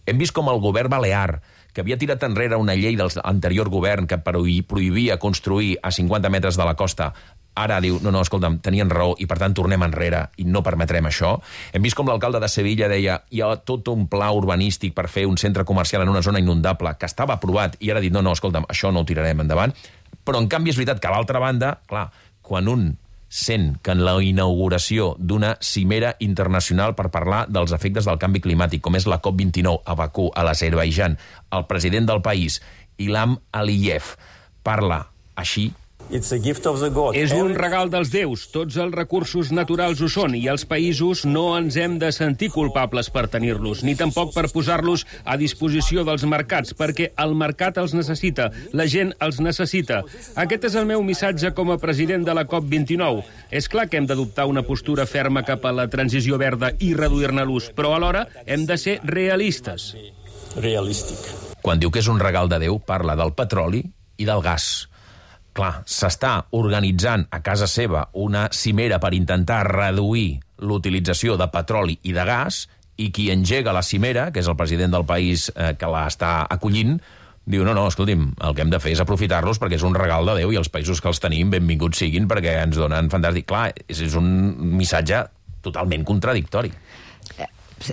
Hem vist com el govern balear, que havia tirat enrere una llei del anterior govern que prohibia construir a cinquanta metres de la costa, ara diu, no, no, escolta'm, tenien raó i per tant tornem enrere i no permetrem això. Hem vist com l'alcalde de Sevilla deia hi ha tot un pla urbanístic per fer un centre comercial en una zona inundable que estava aprovat i ara ha dit, no, no, escolta'm, això no ho tirarem endavant. Però en canvi és veritat que a l'altra banda, clar, quan un sent que en la inauguració d'una cimera internacional per parlar dels efectes del canvi climàtic, com és la COP vint-i-nou a Bakú, a l'Azerbaidjan, el president del país, Ilham Aliyev, parla així. És un regal dels déus, tots els recursos naturals ho són i els països no ens hem de sentir culpables per tenir-los, ni tampoc per posar-los a disposició dels mercats, perquè el mercat els necessita, la gent els necessita. Aquest és el meu missatge com a president de la COP vint-i-nou. És clar que hem d'adoptar una postura ferma cap a la transició verda i reduir-ne l'ús, però alhora hem de ser realistes. Realístic. Quan diu que és un regal de Déu, parla del petroli i del gas. Clar, s'està organitzant a casa seva una cimera per intentar reduir l'utilització de petroli i de gas, i qui engega la cimera, que és el president del país eh, que la està acollint, diu, no, no, escolti'm, el que hem de fer és aprofitar-los perquè és un regal de Déu i els països que els tenim benvinguts siguin perquè ens donen fantàstic. Clar, és, és un missatge totalment contradictori.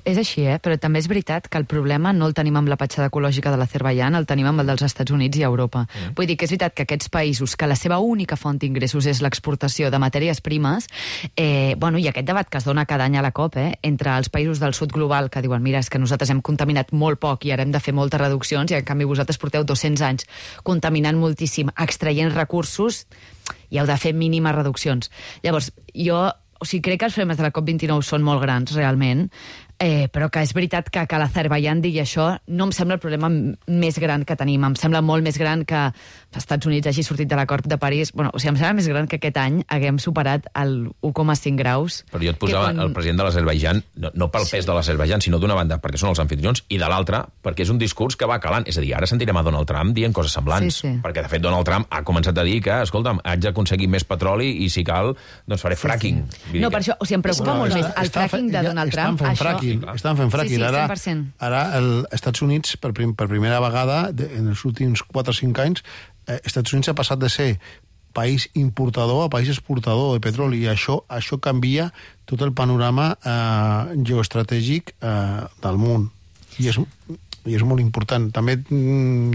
És així, eh? Però també és veritat que el problema no el tenim amb la petjada ecològica de l'Azerbaidjan, el tenim amb el dels Estats Units i Europa. Mm. Vull dir que és veritat que aquests països, que la seva única font d'ingressos és l'exportació de matèries primes, eh, bueno, i aquest debat que es dona cada any a la COP, eh, entre els països del sud global que diuen, mira, és que nosaltres hem contaminat molt poc i ara hem de fer moltes reduccions, i en canvi vosaltres porteu dos-cents anys contaminant moltíssim, extraient recursos, i heu de fer mínimes reduccions. Llavors, jo... O sigui, crec que els problemes de la COP vint-i-nou són molt grans, realment, Eh, però que és veritat que, que l'Azerbaiyán digui això no em sembla el problema més gran que tenim. Em sembla molt més gran que els Estats Units hagi sortit de l'acord de París. Bueno, o sigui, em sembla més gran que aquest any haguem superat el u coma cinc graus. Però jo et posava quan... el president de l'Azerbaiyán, no, no pel pes sí. de l'Azerbaiyán, sinó d'una banda perquè són els anfitrions, i de l'altra perquè és un discurs que va calant. És a dir, ara sentirem a Donald Trump dient coses semblants. Sí, sí. Perquè, de fet, Donald Trump ha començat a dir que, escolta'm, haig d'aconseguir més petroli i, si cal, doncs faré fracking. Sí, sí. No, per això, o sigui, em preocupa no, molt més el fracking de Donald Trump. Estan fent això... fracking, estan fent fracking. Sí, sí, ara, ara els Estats Units, per, prim, per primera vegada, de, en els últims quatre o cinc anys, eh, Estats Units ha passat de ser país importador a país exportador de petroli, i això, això canvia tot el panorama eh, geoestratègic eh, del món. I és, i és molt important. També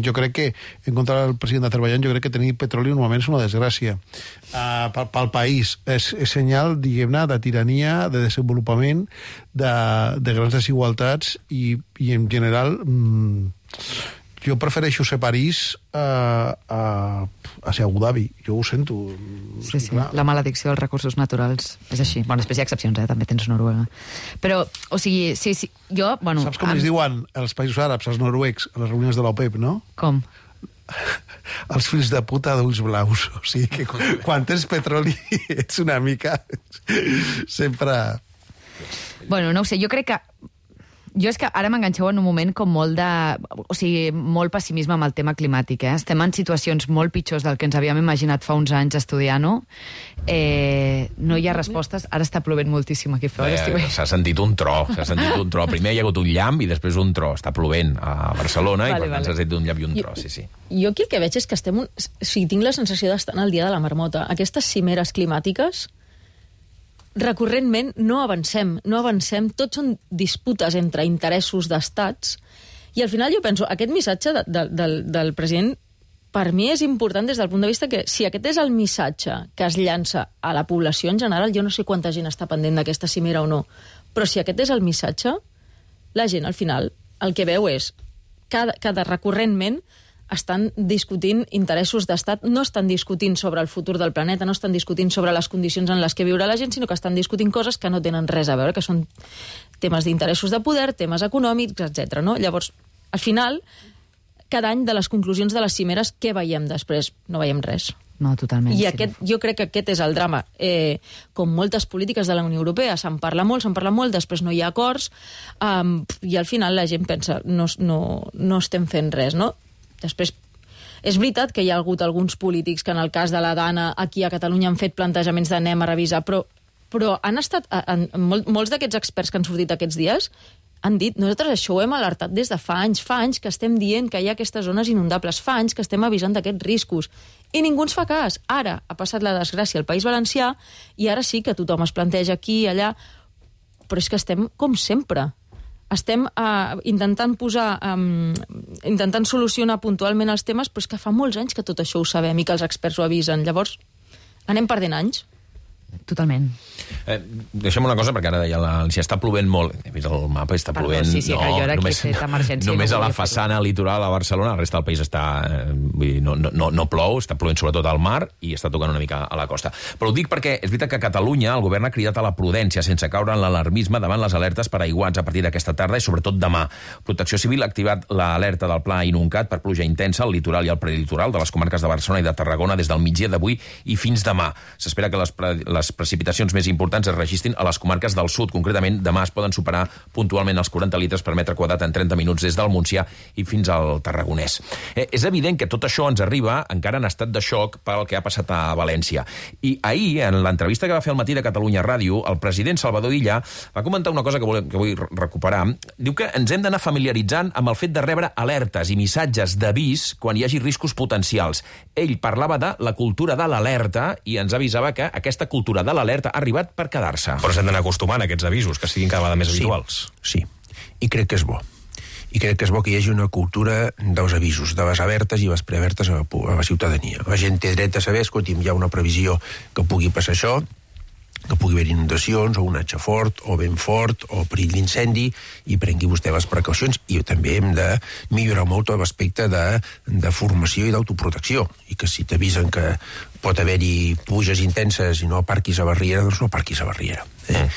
jo crec que, en contra del president d'Azerbaiyán, jo crec que tenir petroli normalment és una desgràcia. Uh, pel, pel país és, és senyal, diguem-ne, de tirania, de desenvolupament, de, de grans desigualtats, i, i en general mm, jo prefereixo ser París a, a, a ser Abu Dhabi. Jo ho sento. Sí, sí, clar. La maledicció dels recursos naturals és així. Bueno, després hi ha excepcions, eh? També tens Noruega. Però, o sigui, sí, sí, jo... Bueno, saps com amb... es diuen els països àrabs, els noruecs, a les reunions de l'OPEP, no? Com? Els fills de puta d'ulls blaus. O sigui que quan tens petroli ets una mica... sempre... Bueno, no ho sé, jo crec que... Jo és que ara m'enganxeu en un moment com molt de... O sigui, molt pessimisme amb el tema climàtic, eh? Estem en situacions molt pitjors del que ens havíem imaginat fa uns anys estudiant-ho. Eh, no hi ha respostes. Ara està plovent moltíssim aquí fora. Eh, s'ha sentit un tro, s'ha sentit un tro. Primer hi ha hagut un llamp i després un tro. Està plovent a Barcelona, vale, i per tant vale. S'ha sentit un llamp i un tro, sí, sí. Jo aquí el que veig és que estem... Un... O sigui, tinc la sensació d'estar en el dia de la marmota. Aquestes cimeres climàtiques... recurrentment no avancem, no avancem, tots són disputes entre interessos d'estats, i al final jo penso, aquest missatge de, de, del, del president per mi és important des del punt de vista que si aquest és el missatge que es llança a la població en general, jo no sé quanta gent està pendent d'aquesta cimera o no, però si aquest és el missatge, la gent al final el que veu és cada, cada recurrentment estan discutint interessos d'estat, no estan discutint sobre el futur del planeta, no estan discutint sobre les condicions en les que viurà la gent, sinó que estan discutint coses que no tenen res a veure, que són temes d'interessos de poder, temes econòmics, etcètera. No? Llavors, al final, cada any de les conclusions de les cimeres, què veiem després? No veiem res. No, totalment. I aquest, jo crec que aquest és el drama. Eh, com moltes polítiques de la Unió Europea, se'n parla molt, se'n parla molt, després no hi ha acords, um, i al final la gent pensa, no, no, no estem fent res, no? Després, és veritat que hi ha hagut alguns polítics que en el cas de la Dana aquí a Catalunya han fet plantejaments d'anem a revisar, però, però han estat, en, en mol, molts d'aquests experts que han sortit aquests dies han dit, nosaltres això ho hem alertat des de fa anys, fa anys que estem dient que hi ha aquestes zones inundables, fa anys que estem avisant d'aquests riscos, i ningú ens fa cas. Ara ha passat la desgràcia al País Valencià, i ara sí que tothom es planteja aquí i allà, però és que estem com sempre. Estem uh, intentant posar, um, intentant solucionar puntualment els temes, però és que fa molts anys que tot això ho sabem i que els experts ho avisen. Llavors, anem perdent anys. Totalment. Eh, deixa'm una cosa, perquè ara ja la, si està plovent molt, he vist el mapa, està Perdó, plovent... sí, sí, que jo era només, aquí fet emergència. Només no a la façana litoral a Barcelona, el resta del país està... Eh, vull dir, no, no, no plou, està plovent sobretot al mar i està tocant una mica a la costa. Però ho dic perquè és veritat que a Catalunya el govern ha cridat a la prudència sense caure en l'alarmisme davant les alertes per aiguats a partir d'aquesta tarda i sobretot demà. Protecció Civil ha activat l'alerta del Pla Inuncat per pluja intensa al litoral i al prelitoral de les comarques de Barcelona i de Tarragona des del migdia d'avui i fins demà. S'espera que les, pre les precipitacions més importants es registrin a les comarques del sud. Concretament, demà es poden superar puntualment els quaranta litres per metre quadrat en trenta minuts des del Montsià i fins al Tarragonès. Eh, és evident que tot això ens arriba encara en estat de xoc pel que ha passat a València. I ahir, en l'entrevista que va fer al matí de Catalunya Ràdio, el president Salvador Illa va comentar una cosa que, vol, que vull recuperar. Diu que ens hem d'anar familiaritzant amb el fet de rebre alertes i missatges d'avís quan hi hagi riscos potencials. Ell parlava de la cultura de l'alerta i ens avisava que aquesta cultura de l'alerta ha arribat per quedar-se. Però s'han d'anar acostumant a aquests avisos, que siguin cada vegada més habituals. Sí, sí. I crec que és bo. I crec que és bo que hi hagi una cultura dels avisos, de les alertes i les prealertes a la, a la ciutadania. La gent té dret a saber, escolti'm, hi ha una previsió que pugui passar això, que pugui haver inundacions, o un atge fort, o vent fort, o perill d'incendi, i prengui vostè les precaucions. I també hem de millorar molt l'aspecte de, de formació i d'autoprotecció. I que si t'avisen que pot haver-hi pluges intenses i no aparquis a la riera, doncs no aparquis a la riera. Eh?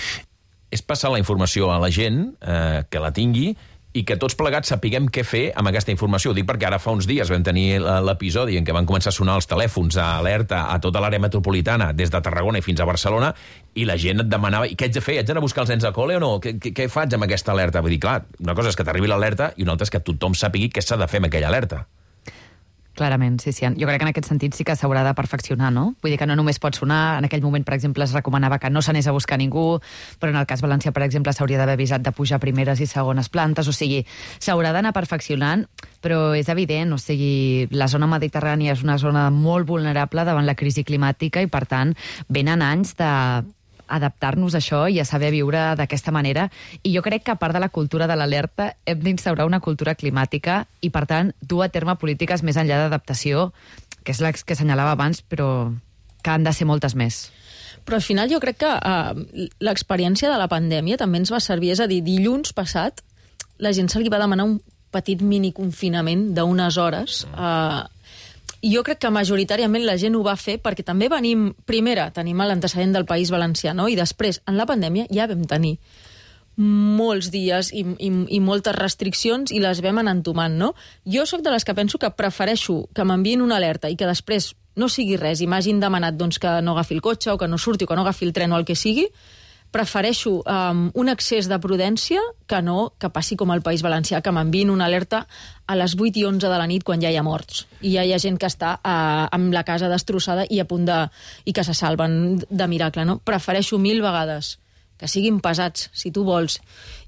és passar la informació a la gent, eh, que la tingui, i que tots plegats sapiguem què fer amb aquesta informació. Ho dic perquè ara fa uns dies vam tenir l'episodi en què van començar a sonar els telèfons a alerta a tota l'àrea metropolitana, des de Tarragona i fins a Barcelona, i la gent et demanava, i què haig de fer? Haig d'anar a buscar els nens a col·le o no? Què, què, què faig amb aquesta alerta? Vull dir, clar, una cosa és que t'arribi l'alerta i una altra és que tothom sàpigui què s'ha de fer amb aquella alerta. Clarament, sí, sí. Jo crec que en aquest sentit sí que s'haurà de perfeccionar, no? Vull dir que no només pot sonar, en aquell moment, per exemple, es recomanava que no s'anés a buscar ningú, però en el cas valencià, per exemple, s'hauria d'haver avisat de pujar primeres i segones plantes, o sigui, s'haurà d'anar perfeccionant, però és evident, o sigui, la zona mediterrània és una zona molt vulnerable davant la crisi climàtica i, per tant, venen anys de adaptar-nos a això i a saber viure d'aquesta manera. I jo crec que, a part de la cultura de l'alerta, hem d'instaurar una cultura climàtica i, per tant, dur a terme polítiques més enllà d'adaptació, que és la que assenyalava abans, però que han de ser moltes més. Però al final jo crec que uh, l'experiència de la pandèmia també ens va servir. És a dir, dilluns passat la gent se li va demanar un petit miniconfinament d'unes hores. Uh, I jo crec que majoritàriament la gent ho va fer perquè també venim, primera, tenim l'antecedent del País Valencià, no? I després, en la pandèmia, ja vam tenir molts dies i, i, i moltes restriccions i les vam anar entomant, no? Jo sóc de les que penso que prefereixo que m'enviïn una alerta i que després no sigui res i m'hagin demanat doncs, que no agafi el cotxe o que no surti o que no agafi el tren o el que sigui. Prefereixo um, un excés de prudència que no que passi com al País Valencià, que m'enviïn una alerta a les vuit i onze de la nit quan ja hi ha morts. I ja hi ha gent que està uh, amb la casa destrossada i a punt de... i que se salven de miracle, no? Prefereixo mil vegades que siguin pesats, si tu vols,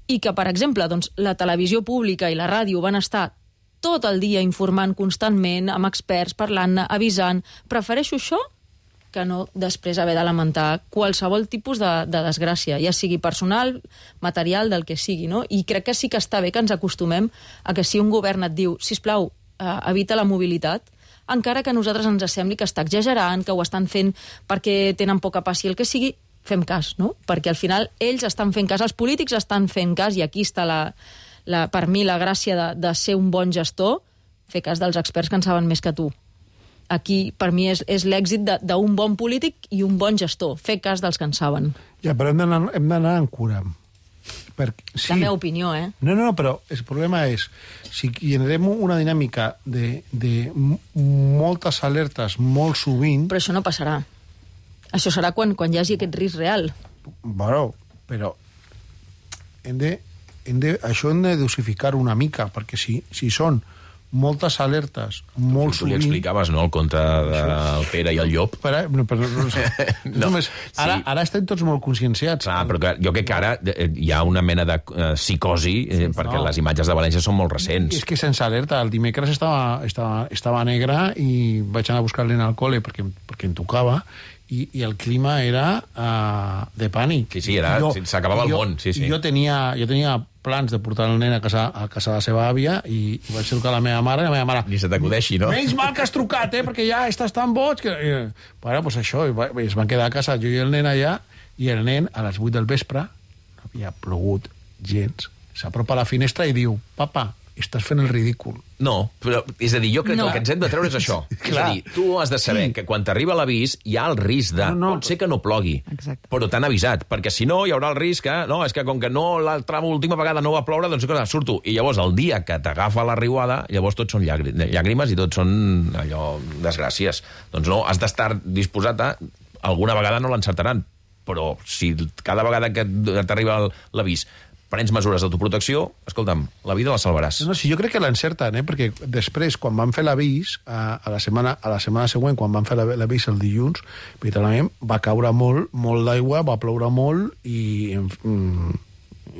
i que, per exemple, doncs, la televisió pública i la ràdio van estar tot el dia informant constantment, amb experts, parlant-ne, avisant. Prefereixo això que no després haver de lamentar qualsevol tipus de, de desgràcia, ja sigui personal, material, del que sigui, no? I crec que sí que està bé que ens acostumem a que si un govern et diu, sisplau, eh, evita la mobilitat, encara que a nosaltres ens sembli que està exagerant, que ho estan fent perquè tenen poca passió, el que sigui, fem cas, no? Perquè al final ells estan fent cas, els polítics estan fent cas, i aquí està la, la, per mi la gràcia de, de ser un bon gestor, fer cas dels experts que en saben més que tu. Aquí, per mi, és, és l'èxit d'un bon polític i un bon gestor. Fer cas dels que en saben. Ja, però hem d'anar amb cura. Per, sí. La meva opinió, eh? No, no, però el problema és, si generem una dinàmica de, de moltes alertes molt sovint... Però això no passarà. Això serà quan, quan hi hagi aquest risc real. Bueno, però hem de, hem de, això hem de dosificar una mica, perquè si, si són moltes alertes, molt tu sovint... Tu li explicaves, no?, el conte del Pere i el llop. Però, no, però, no, no, només, ara, sí. Ara estem tots molt conscienciats. Clar, però que, jo crec que ara hi ha una mena de uh, psicosi, eh, sí, perquè no. Les imatges de València són molt recents. És que sense alerta, el dimecres estava, estava, estava negre i vaig anar a buscar el nen al col·le perquè, perquè em tocava, i, i el clima era uh, de pànic. Sí, sí, s'acabava el món. Sí, sí. I jo tenia, jo tenia plans de portar el nen a casa, a casa de la seva àvia i, i vaig trucar a la meva mare i la meva mare... Ni se t'acudeixi, no? Menys mal que has trucat, eh, perquè ja estàs tan boig que... I, bueno, doncs això, i, va, i es van quedar a casa jo i el nen allà, i el nen a les vuit del vespre, no havia plogut gens, s'apropa a la finestra i diu, papa, estàs fent el ridícul. No, però, és a dir, jo crec no. que el que ens hem de treure és això. És a dir, tu has de saber sí. que quan t'arriba l'avís hi ha el risc de... No, no. Pot ser que no plogui, exacte. Però t'han avisat, perquè si no hi haurà el risc que... No, és que com que no l'altra última vegada no va ploure, doncs cosa, surto. I llavors el dia que t'agafa la riuada, llavors tots són llàgrimes i tots són allò, desgràcies. Doncs no, has d'estar disposat a... Alguna vegada no l'encertaran, però si cada vegada que t'arriba l'avís prens mesures d'autoprotecció, escolta'm, la vida la salvaràs. No, sí, jo crec que l'encerten, eh? Perquè després, quan van fer l'avís, a, a, la setmana, a la setmana següent, quan van fer l'avís el dilluns, literalment va caure molt, molt d'aigua, va ploure molt i, i,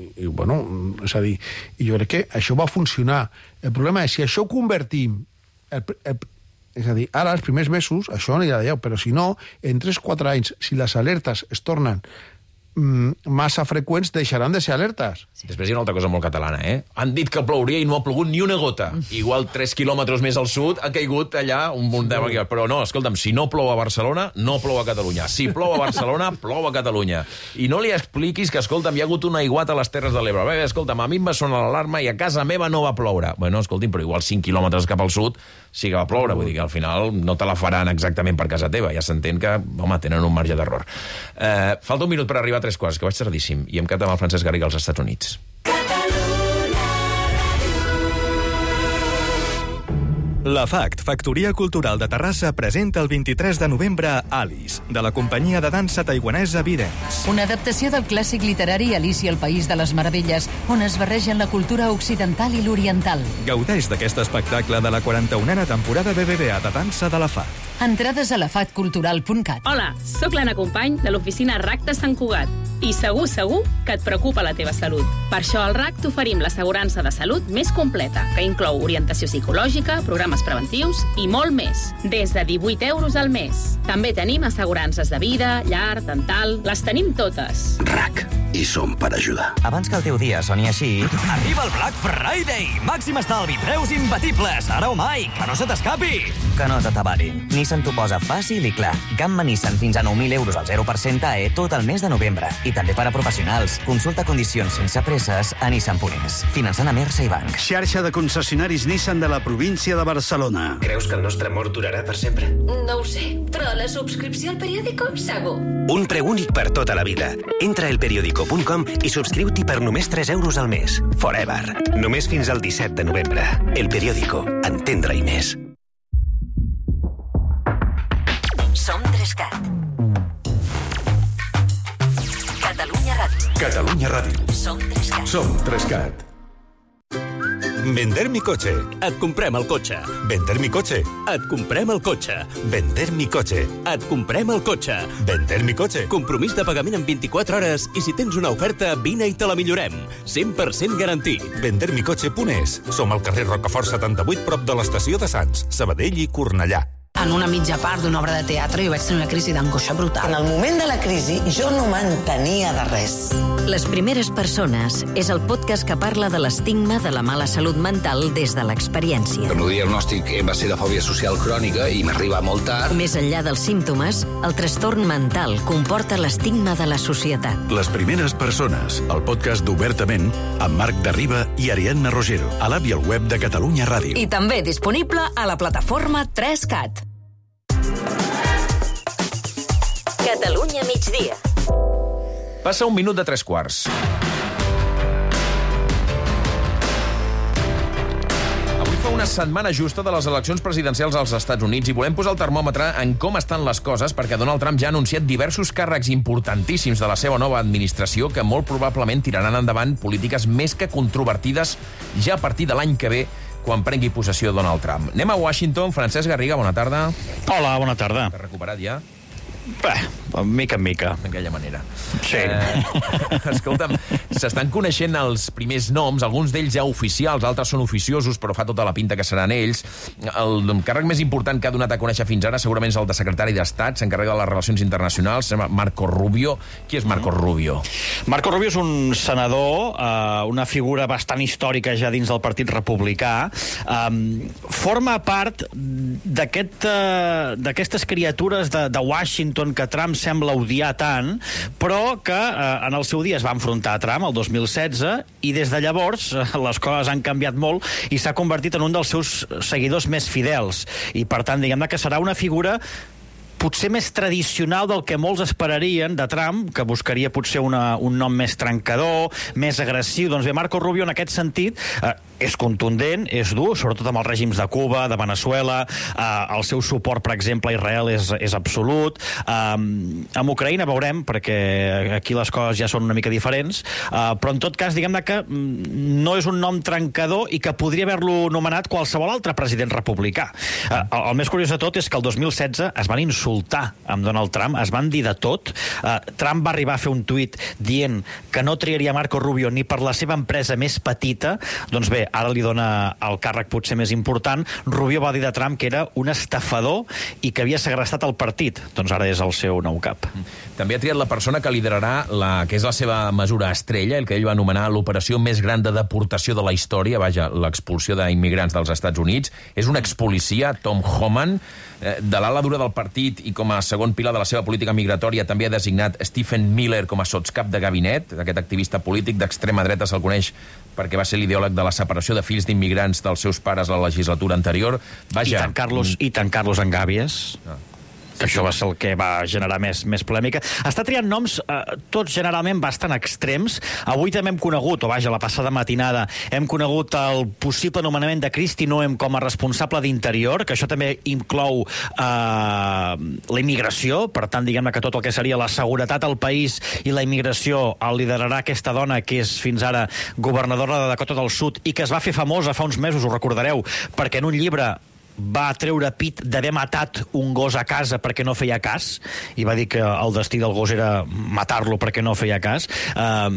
i, bueno, és a dir, i jo crec que això va funcionar. El problema és, si això ho convertim... El, el, és a dir, ara, els primers mesos, això no anirà d'allà, però si no, en tres o quatre anys, si les alertes es tornen massa freqüents, deixaran de ser alertes. Sí. Després hi ha una altra cosa molt catalana, eh? Han dit que plouria i no ha plogut ni una gota. Igual tres quilòmetres més al sud ha caigut allà un munt de... Però no, escolta'm, si no plou a Barcelona, no plou a Catalunya. Si plou a Barcelona, plou a Catalunya. I no li expliquis que, escolta'm, hi ha hagut un aiguat a les Terres de l'Ebre. Bé, escolta'm, a mi em va sonar l'alarma i a casa meva no va ploure. Bueno, escolti'm, però igual cinc quilòmetres cap al sud sí que va ploure. Vull dir que al final no te la faran exactament per casa teva. Ja s'entén que, home, tenen un marge d'error. Eh, falta un minut per arribar a tres tres quarts, que vaig tardíssim, i em quedat amb el Francesc Garriga als Estats Units. La FACT, Factoria Cultural de Terrassa, presenta el vint-i-tres de novembre Alice, de la companyia de dansa taiwanesa Videns. Una adaptació del clàssic literari Alicia al País de les Meravelles, on es barregen la cultura occidental i l'oriental. Gaudeix d'aquest espectacle de la quaranta-unena temporada B B V A de dansa de la FACT. Entrades a la fact cultural punt cat. Hola, sóc l'Anna Company de l'oficina R A C de Sant Cugat i segur, segur que et preocupa la teva salut. Per això al R A C t'oferim l'assegurança de salut més completa, que inclou orientació psicològica, programes preventius i molt més, des de divuit euros al mes. També tenim assegurances de vida, llar, dental, les tenim totes. R A C, i som per ajudar. Abans que el teu dia soni així... Arriba el Black Friday! Màxim estalvi, preus imbatibles! Ara o mai, que no se t'escapi! Que no t'atabarin. Nissan t'ho posa fàcil i clar. Gamma Nissan fins a nou mil euros al zero per cent A E tot el mes de novembre. I també per a professionals. Consulta condicions sense presses a Nissan punt es. Finançant a Mersa i Banc. Xarxa de concessionaris Nissan de la província de Barcelona. Creus que el nostre amor durarà per sempre? No ho sé, però la subscripció al periòdico, segur. Un preu únic per tota la vida. Entra a elperiodico punt com i subscriu-t'hi per només tres euros al mes. Forever. Només fins al disset de novembre. El Periódico. Entendre-hi més. Som tres cat. Catalunya Ràdio. Catalunya Ràdio. Som tres cat. Som tres cat. Vender mi coche. Et comprem el cotxe. Vender mi coche. Et comprem el cotxe. Vender mi coche. Et comprem el cotxe. Vender mi coche. Compromís de pagament en vint-i-quatre hores i si tens una oferta, vine i te la millorem. cent per cent garantit. vender mi coche punt es. Som al carrer Rocafort setanta-vuit, prop de l'estació de Sants, Sabadell i Cornellà. En una mitja part d'una obra de teatre jo vaig tenir una crisi d'angoixa brutal. En el moment de la crisi jo no m'entenia de res. Les primeres persones és el podcast que parla de l'estigma de la mala salut mental des de l'experiència. El meu diagnòstic va ser de fòbia social crònica i m'arriba molt tard. Més enllà dels símptomes, el trastorn mental comporta l'estigma de la societat. Les primeres persones, el podcast d'Obertament, amb Marc Darriba i Ariadna Rogero, a l'app i al web de Catalunya Ràdio. I també disponible a la plataforma tres cat. Catalunya migdia. Passa un minut de tres quarts. Avui fa una setmana justa de les eleccions presidencials als Estats Units i volem posar el termòmetre en com estan les coses perquè Donald Trump ja ha anunciat diversos càrrecs importantíssims de la seva nova administració que molt probablement tiraran endavant polítiques més que controvertides ja a partir de l'any que ve quan prengui possessió Donald Trump. Anem a Washington. Francesc Garriga, bona tarda. Hola, bona tarda. T'has recuperat ja? Bé, mica en mica. D'aquella manera. Sí. Eh, escolta'm, s'estan coneixent els primers noms, alguns d'ells ja oficials, altres són oficiosos, però fa tota la pinta que seran ells. El càrrec més important que ha donat a conèixer fins ara segurament és el de secretari d'Estat, s'encarrega de les relacions internacionals, se llama Marco Rubio. Qui és Marco Rubio? Marco Rubio és un senador, eh, una figura bastant històrica ja dins del Partit Republicà. Eh, forma part d'aquest, eh, d'aquestes criatures de, de Washington que Trump sembla odiar tant, però que eh, en el seu dia es va enfrontar a Trump el dos mil setze i des de llavors eh, les coses han canviat molt i s'ha convertit en un dels seus seguidors més fidels. I per tant, diguem-ne que serà una figura potser més tradicional del que molts esperarien de Trump, que buscaria potser una, un nom més trencador, més agressiu. Doncs bé, Marco Rubio en aquest sentit eh, és contundent, és dur, sobretot amb els règims de Cuba, de Venezuela, eh, el seu suport, per exemple, a Israel és, és absolut. Eh, amb Ucraïna veurem, perquè aquí les coses ja són una mica diferents, eh, però en tot cas, diguem-ne que no és un nom trencador i que podria haver-lo nomenat qualsevol altre president republicà. Eh, el, el més curiós de tot és que el dos mil setze es van insultar amb Donald Trump, es van dir de tot. Uh, Trump va arribar a fer un tuit dient que no triaria Marco Rubio ni per la seva empresa més petita. Doncs bé, ara li dona el càrrec potser més important. Rubio va dir de Trump que era un estafador i que havia segrestat el partit. Doncs ara és el seu nou cap. També ha triat la persona que liderarà la que és la seva mesura estrella, el que ell va anomenar l'operació més gran de deportació de la història, vaja, l'expulsió d'immigrants dels Estats Units. És un expolicia, Tom Homan, de l'ala dura del partit i com a segon pilar de la seva política migratòria també ha designat Stephen Miller com a sotscap de gabinet. Aquest activista polític d'extrema dreta se'l coneix perquè va ser l'ideòleg de la separació de fills d'immigrants dels seus pares a la legislatura anterior. Vaja, I tant Carlos, i tant Carlos Engabies. Ah. que això va ser el que va generar més, més polèmica. Està triant noms, eh, tots generalment bastant extrems. Avui també hem conegut, o vaja, la passada matinada, hem conegut el possible nomenament de Kristi Noem com a responsable d'Interior, que això també inclou eh, la immigració, per tant, diguem-ne que tot el que seria la seguretat al país i la immigració el liderarà aquesta dona que és fins ara governadora de Dakota del Sud i que es va fer famosa fa uns mesos, ho recordareu, perquè en un llibre va treure pit d'haver matat un gos a casa perquè no feia cas, i va dir que el destí del gos era matar-lo perquè no feia cas. Uh,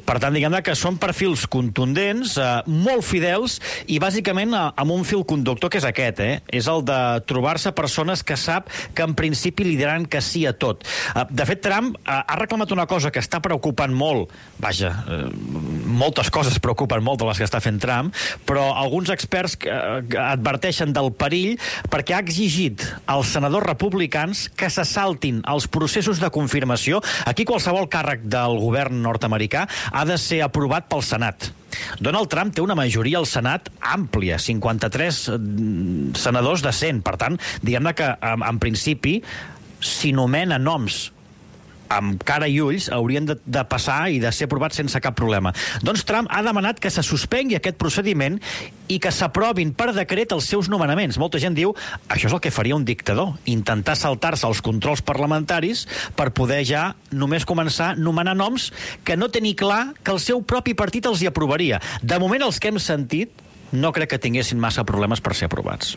per tant, diguem-ne que són perfils contundents, uh, molt fidels, i bàsicament uh, amb un fil conductor que és aquest, eh? És el de trobar-se persones que sap que en principi li diran que sí a tot. Uh, de fet, Trump uh, ha reclamat una cosa que està preocupant molt, vaja, uh, moltes coses preocupen molt de les que està fent Trump, però alguns experts uh, adverteixen del perill perquè ha exigit als senadors republicans que se saltin els processos de confirmació. Aquí qualsevol càrrec del govern nord-americà ha de ser aprovat pel Senat. Donald Trump té una majoria al Senat àmplia, cinquanta-tres senadors de cent. Per tant, diguem-ne que en, en principi, si nomena noms amb cara i ulls, haurien de, de passar i de ser aprovats sense cap problema. Doncs Trump ha demanat que se suspengui aquest procediment i que s'aprovin per decret els seus nomenaments. Molta gent diu, això és el que faria un dictador, intentar saltar-se els controls parlamentaris per poder ja només començar a nomenar noms que no tenir clar que el seu propi partit els hi aprovaria. De moment, els que hem sentit no crec que tinguessin massa problemes per ser aprovats.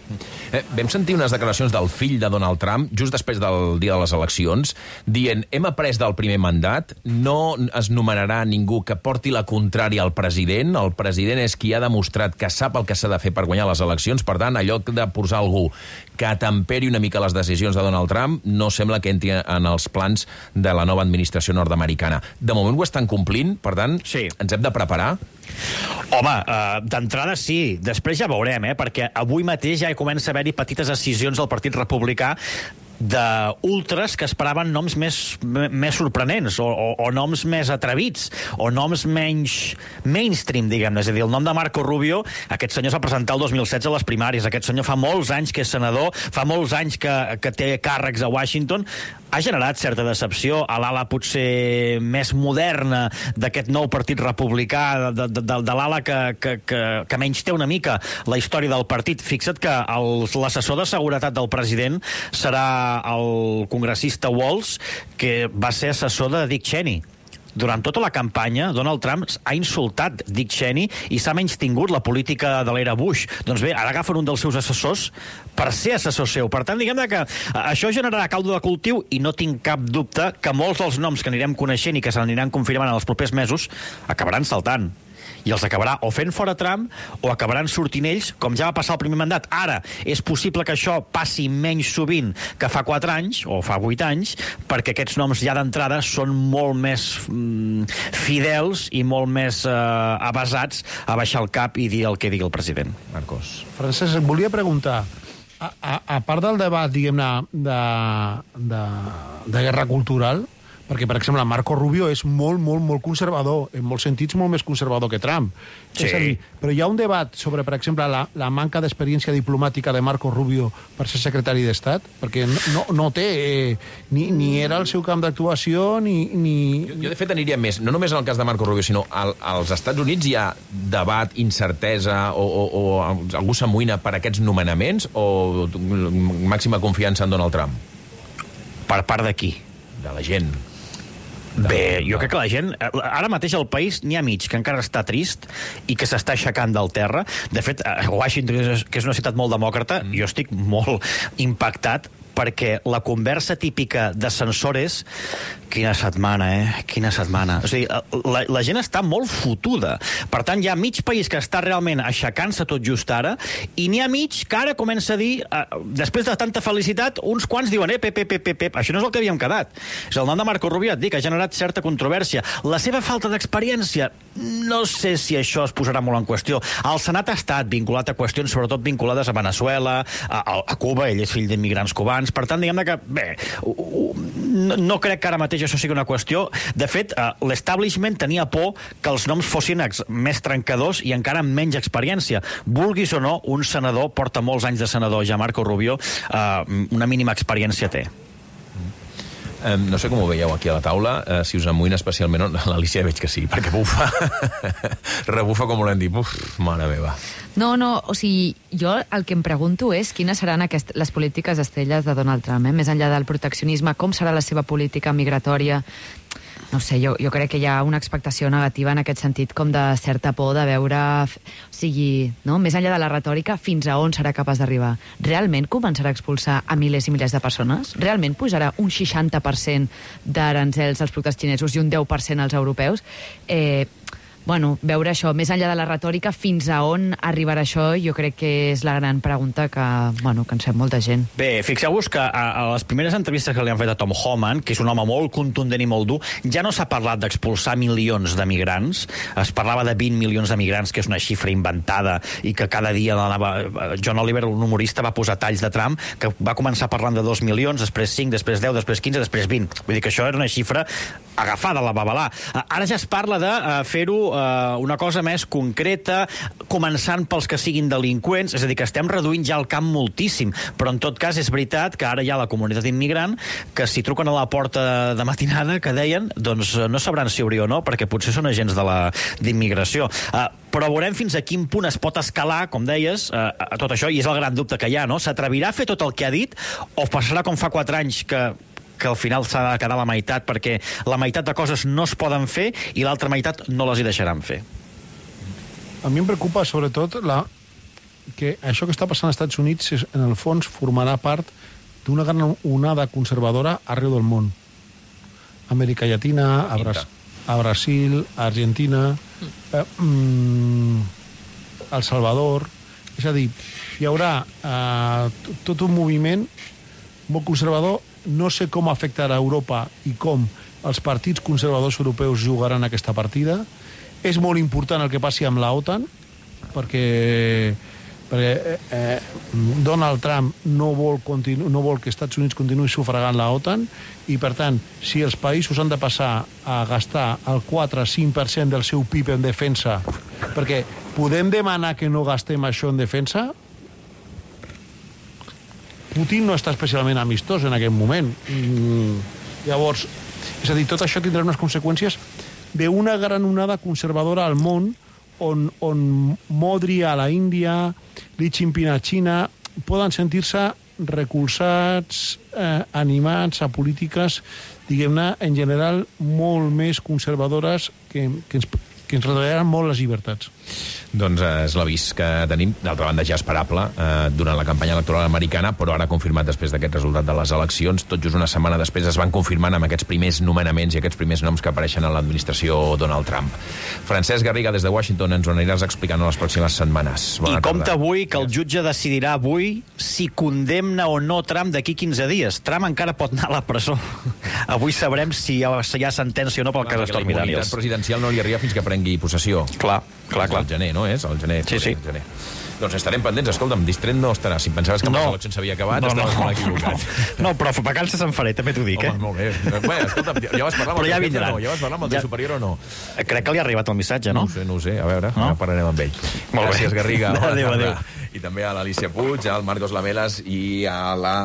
Eh, vam sentir unes declaracions del fill de Donald Trump, just després del dia de les eleccions, dient, hem après del primer mandat, no es nomenarà ningú que porti la contrària al president, el president és qui ha demostrat que sap el que s'ha de fer per guanyar les eleccions, per tant, allò de posar algú que atemperi una mica les decisions de Donald Trump no sembla que entri en els plans de la nova administració nord-americana. De moment ho estan complint, per tant, sí. Ens hem de preparar? Home, uh, d'entrada sí, després ja veurem, eh? Perquè avui mateix ja comença a haver-hi petites decisions al Partit Republicà d'ultres que esperaven noms més, més sorprenents o, o, o noms més atrevits o noms menys mainstream, diguem-ne. És a dir, el nom de Marco Rubio, aquest senyor s'ha presentat el dos mil setze a les primàries, aquest senyor fa molts anys que és senador, fa molts anys que, que té càrrecs a Washington, ha generat certa decepció a l'ala potser més moderna d'aquest nou partit republicà, de, de, de, de l'ala que, que, que, que menys té una mica la història del partit. Fixa't que l'assessor de seguretat del president serà el congressista Walz, que va ser assessor de Dick Cheney. Durant tota la campanya, Donald Trump ha insultat Dick Cheney i s'ha menystingut la política de l'era Bush. Doncs bé, ara agafen un dels seus assessors per ser assessor seu. Per tant, diguem que això generarà caldo de cultiu i no tinc cap dubte que molts dels noms que anirem coneixent i que s'aniran confirmant en els propers mesos acabaran saltant. I els acabarà o fent fora Trump o acabaran sortint ells, com ja va passar el primer mandat. Ara, és possible que això passi menys sovint que fa quatre anys o fa vuit anys, perquè aquests noms ja d'entrada són molt més mm, fidels i molt més eh, avasats a baixar el cap i dir el que digui el president. Marcos. Francesc, et volia preguntar, a, a, a part del debat, diguem-ne, de, de, de guerra cultural, perquè, per exemple, Marco Rubio és molt, molt, molt conservador, en molts sentits molt més conservador que Trump. Sí. És a dir, però hi ha un debat sobre, per exemple, la, la manca d'experiència diplomàtica de Marco Rubio per ser secretari d'Estat, perquè no, no, no té, eh, ni, ni era el seu camp d'actuació, ni... ni... Jo, jo, de fet, aniria més, no només en el cas de Marco Rubio, sinó al, als Estats Units hi ha debat, incertesa, o, o, o algú s'amoïna per aquests nomenaments, o màxima confiança en Donald Trump? Per part de qui? De la gent. Bé, jo crec que la gent... Ara mateix al país n'hi ha mig que encara està trist i que s'està aixecant del terra. De fet, Washington, que és una ciutat molt demòcrata, mm. jo estic molt impactat perquè la conversa típica de censores... Quina setmana, eh? Quina setmana. O sigui, la, la gent està molt fotuda. Per tant, hi ha mig país que està realment aixecant-se tot just ara, i n'hi ha mig que ara comença a dir, eh, després de tanta felicitat, uns quants diuen, eh, pep, pep, pep, pep, això no és el que havíem quedat. És el nom de Marco Rubio, et dic, ha generat certa controvèrsia. La seva falta d'experiència, no sé si això es posarà molt en qüestió. El Senat ha estat vinculat a qüestions, sobretot vinculades a Venezuela, a, a Cuba, ell és fill d'immigrants cubans, per tant, diguem-ne que, bé, no, no crec que ara mateix això sigui una qüestió. De fet, uh, l'establishment tenia por que els noms fossin més trencadors i encara amb menys experiència. Vulguis o no, un senador porta molts anys de senador, ja Marco Rubio, uh, una mínima experiència té. Eh, no sé com ho veieu aquí a la taula, eh, si us amoïna especialment... No, l'Alicia veig que sí, perquè bufa. Rebufa com volem dir. Uf, mare meva. No, no, o sigui, jo el que em pregunto és quines seran aquest, les polítiques estrelles de Donald Trump, eh? Més enllà del proteccionisme, com serà la seva política migratòria. No sé, jo, jo crec que hi ha una expectació negativa en aquest sentit, com de certa por de veure... O sigui, no? Més enllà de la retòrica, fins a on serà capaç d'arribar? Realment començarà a expulsar a milers i milers de persones? Realment pujarà un seixanta per cent d'aranzels als productes xinesos i un deu per cent als europeus? Eh... Bueno, veure això, més enllà de la retòrica, fins a on arribarà això, jo crec que és la gran pregunta que, bueno, que ens fem molta gent. Bé, fixeu-vos que a, a les primeres entrevistes que li han fet a Tom Homan, que és un home molt contundent i molt dur, ja no s'ha parlat d'expulsar milions de migrants, es parlava de vint milions de migrants, que és una xifra inventada, i que cada dia anava... John Oliver, un humorista, va posar talls de Trump, que va començar parlant de dos milions, després cinc, després deu, després quinze, després vint. Vull dir que això era una xifra agafada a la babalà. Ara ja es parla de fer-ho una cosa més concreta, començant pels que siguin delinqüents, és a dir, que estem reduint ja el camp moltíssim, però en tot cas és veritat que ara hi ha la comunitat immigrant que si truquen a la porta de matinada, que deien, doncs no sabran si obrir o no, perquè potser són agents de la d'immigració. Uh, però veurem fins a quin punt es pot escalar, com deies, uh, a tot això, i és el gran dubte que hi ha, no? S'atrevirà a fer tot el que ha dit o passarà com fa quatre anys que que al final s'ha de quedar la meitat perquè la meitat de coses no es poden fer i l'altra meitat no les hi deixaran fer? A mi em preocupa sobretot la... que això que està passant als Estats Units és, en el fons formarà part d'una gran onada conservadora arreu del món. Amèrica Llatina, a, Bras... a Brasil, a Argentina, eh, mm, El Salvador... És a dir, hi haurà eh, tot un moviment molt conservador. No sé com afectarà Europa i com els partits conservadors europeus jugaran aquesta partida. És molt important el que passi amb la OTAN, perquè, perquè eh, Donald Trump no vol, continu, no vol que Estats Units continuï sufragant la OTAN, i per tant, si els països han de passar a gastar el quatre cinc per cent del seu P I B en defensa, perquè podem demanar que no gastem això en defensa? Putin no està especialment amistós en aquest moment. Mm, llavors, és a dir, tot això tindrà unes conseqüències d'una gran onada conservadora al món, on, on Modi a la Índia, Xi Jinping a Xina, poden sentir-se recolzats, eh, animats a polítiques, diguem-ne, en general, molt més conservadores que, que ens que ens retallaran molt les llibertats. Doncs eh, és l'avís que tenim, d'altra banda ja esperable, eh, durant la campanya electoral americana, però ara confirmat després d'aquest resultat de les eleccions. Tot just una setmana després es van confirmant amb aquests primers nomenaments i aquests primers noms que apareixen a l'administració Donald Trump. Francesc Garriga, des de Washington, ens ho aniràs explicant en les pròximes setmanes. Bona I compta avui que el jutge decidirà avui si condemna o no Trump d'aquí quinze dies. Trump encara pot anar a la presó. Avui sabrem si hi ha, si hi ha sentència o no pel cas Stormy Daniels. La immunitat presidencial no li arriba fins que prengui possessió. Clar, clar, clar. El gener, no és? El gener. Sí, sí. El gener. Doncs estarem pendents. Escolta'm, distret no estarà. Si em pensaves que no. Les eleccions s'havia acabat, no, estaves no. molt equivocat. No, però vacances se'n faré, també t'ho dic, Home, eh? Molt bé. Bé, escolta'm, ja vas parlar amb el ja teu no? Ja vas parlar amb el teu ja... superior o no? Crec que li ha arribat el missatge, no? No ho sé, no ho sé. A veure, no? Ara parlarem amb ell. Molt Gràcies, bé. Garriga. Adéu, adéu. I també a l'Alicia Puig, al Marcos Lamelas i a la...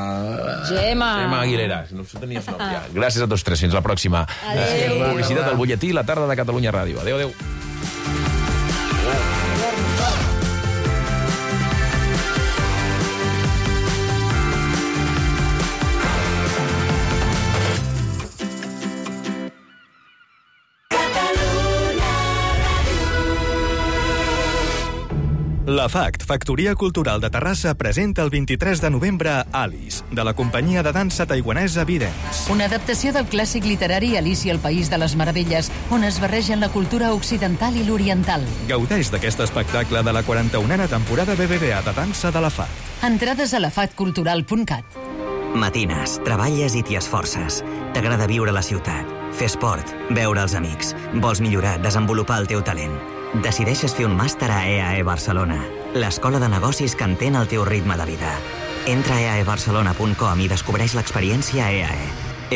Gemma. Gemma Aguilera. No ho tenies nom ja. Gràcies a tots tres. Fins la pròxima. Adéu. Publicitat del butlletí, la tarda de Catalunya Ràdio. Adéu, adéu. La FACT, Factoria Cultural de Terrassa, presenta el vint-i-tres de novembre Alice, de la companyia de dansa taiwanesa Videns. Una adaptació del clàssic literari Alicia al País de les Meravelles, on es barregen la cultura occidental i l'oriental. Gaudeix d'aquest espectacle de la quaranta-unena temporada B B V A de dansa de la FACT. Entrades a la fact cultural punt cat. Matines, treballes i t'hi esforces. T'agrada viure a la ciutat, fer esport, veure els amics. Vols millorar, desenvolupar el teu talent. Decideixes fer un màster a E A E Barcelona, l'escola de negocis que entén el teu ritme de vida. Entra a e a e barcelona punt com i descobreix l'experiència E A E.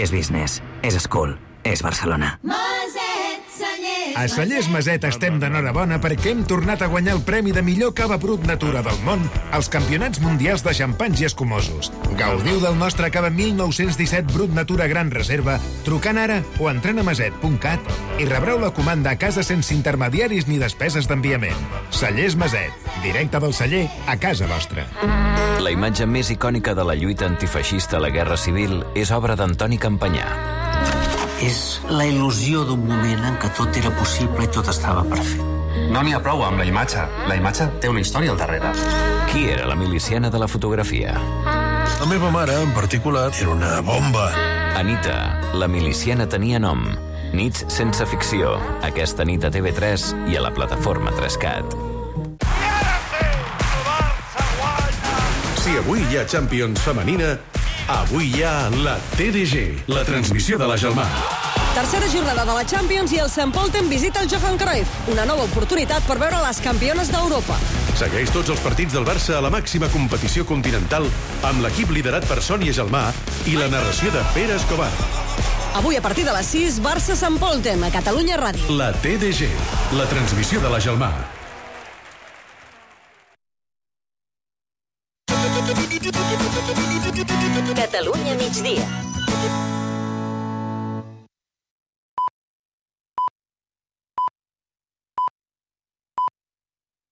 És business, és school, és Barcelona. Moset Celler. A Cellers Maset estem d'enhorabona perquè hem tornat a guanyar el premi de millor cava brut natura del món als Campionats Mundials de Xampanys i Escumosos. Gaudiu del nostre cava mil nou-cents disset brut natura gran reserva trucant ara o entrant a maset punt cat i rebreu la comanda a casa sense intermediaris ni despeses d'enviament. Cellers Maset, directe del celler a casa vostra. La imatge més icònica de la lluita antifeixista a la Guerra Civil és obra d'Antoni Campanyà. És la il·lusió d'un moment en què tot era possible i tot estava per fer. No n'hi ha prou amb la imatge. La imatge té una història al darrere. Qui era la miliciana de la fotografia? La meva mare, en particular, era una bomba. Anita, la miliciana tenia nom. Nits sense ficció. Aquesta nit a T V tres i a la plataforma tres cat. Si avui hi ha Champions femenina, avui hi ha la T D G, la transmissió de la Gelmà. Tercera jornada de la Champions i el Sant Polten visita el Johan Cruyff. Una nova oportunitat per veure les campiones d'Europa. Segueix tots els partits del Barça a la màxima competició continental amb l'equip liderat per Sònia Gelmà i la narració de Pere Escobar. Avui a partir de les sis, Barça-Sant Polten, a Catalunya Ràdio. La T D G, la transmissió de la Gelmà. Catalunya migdia.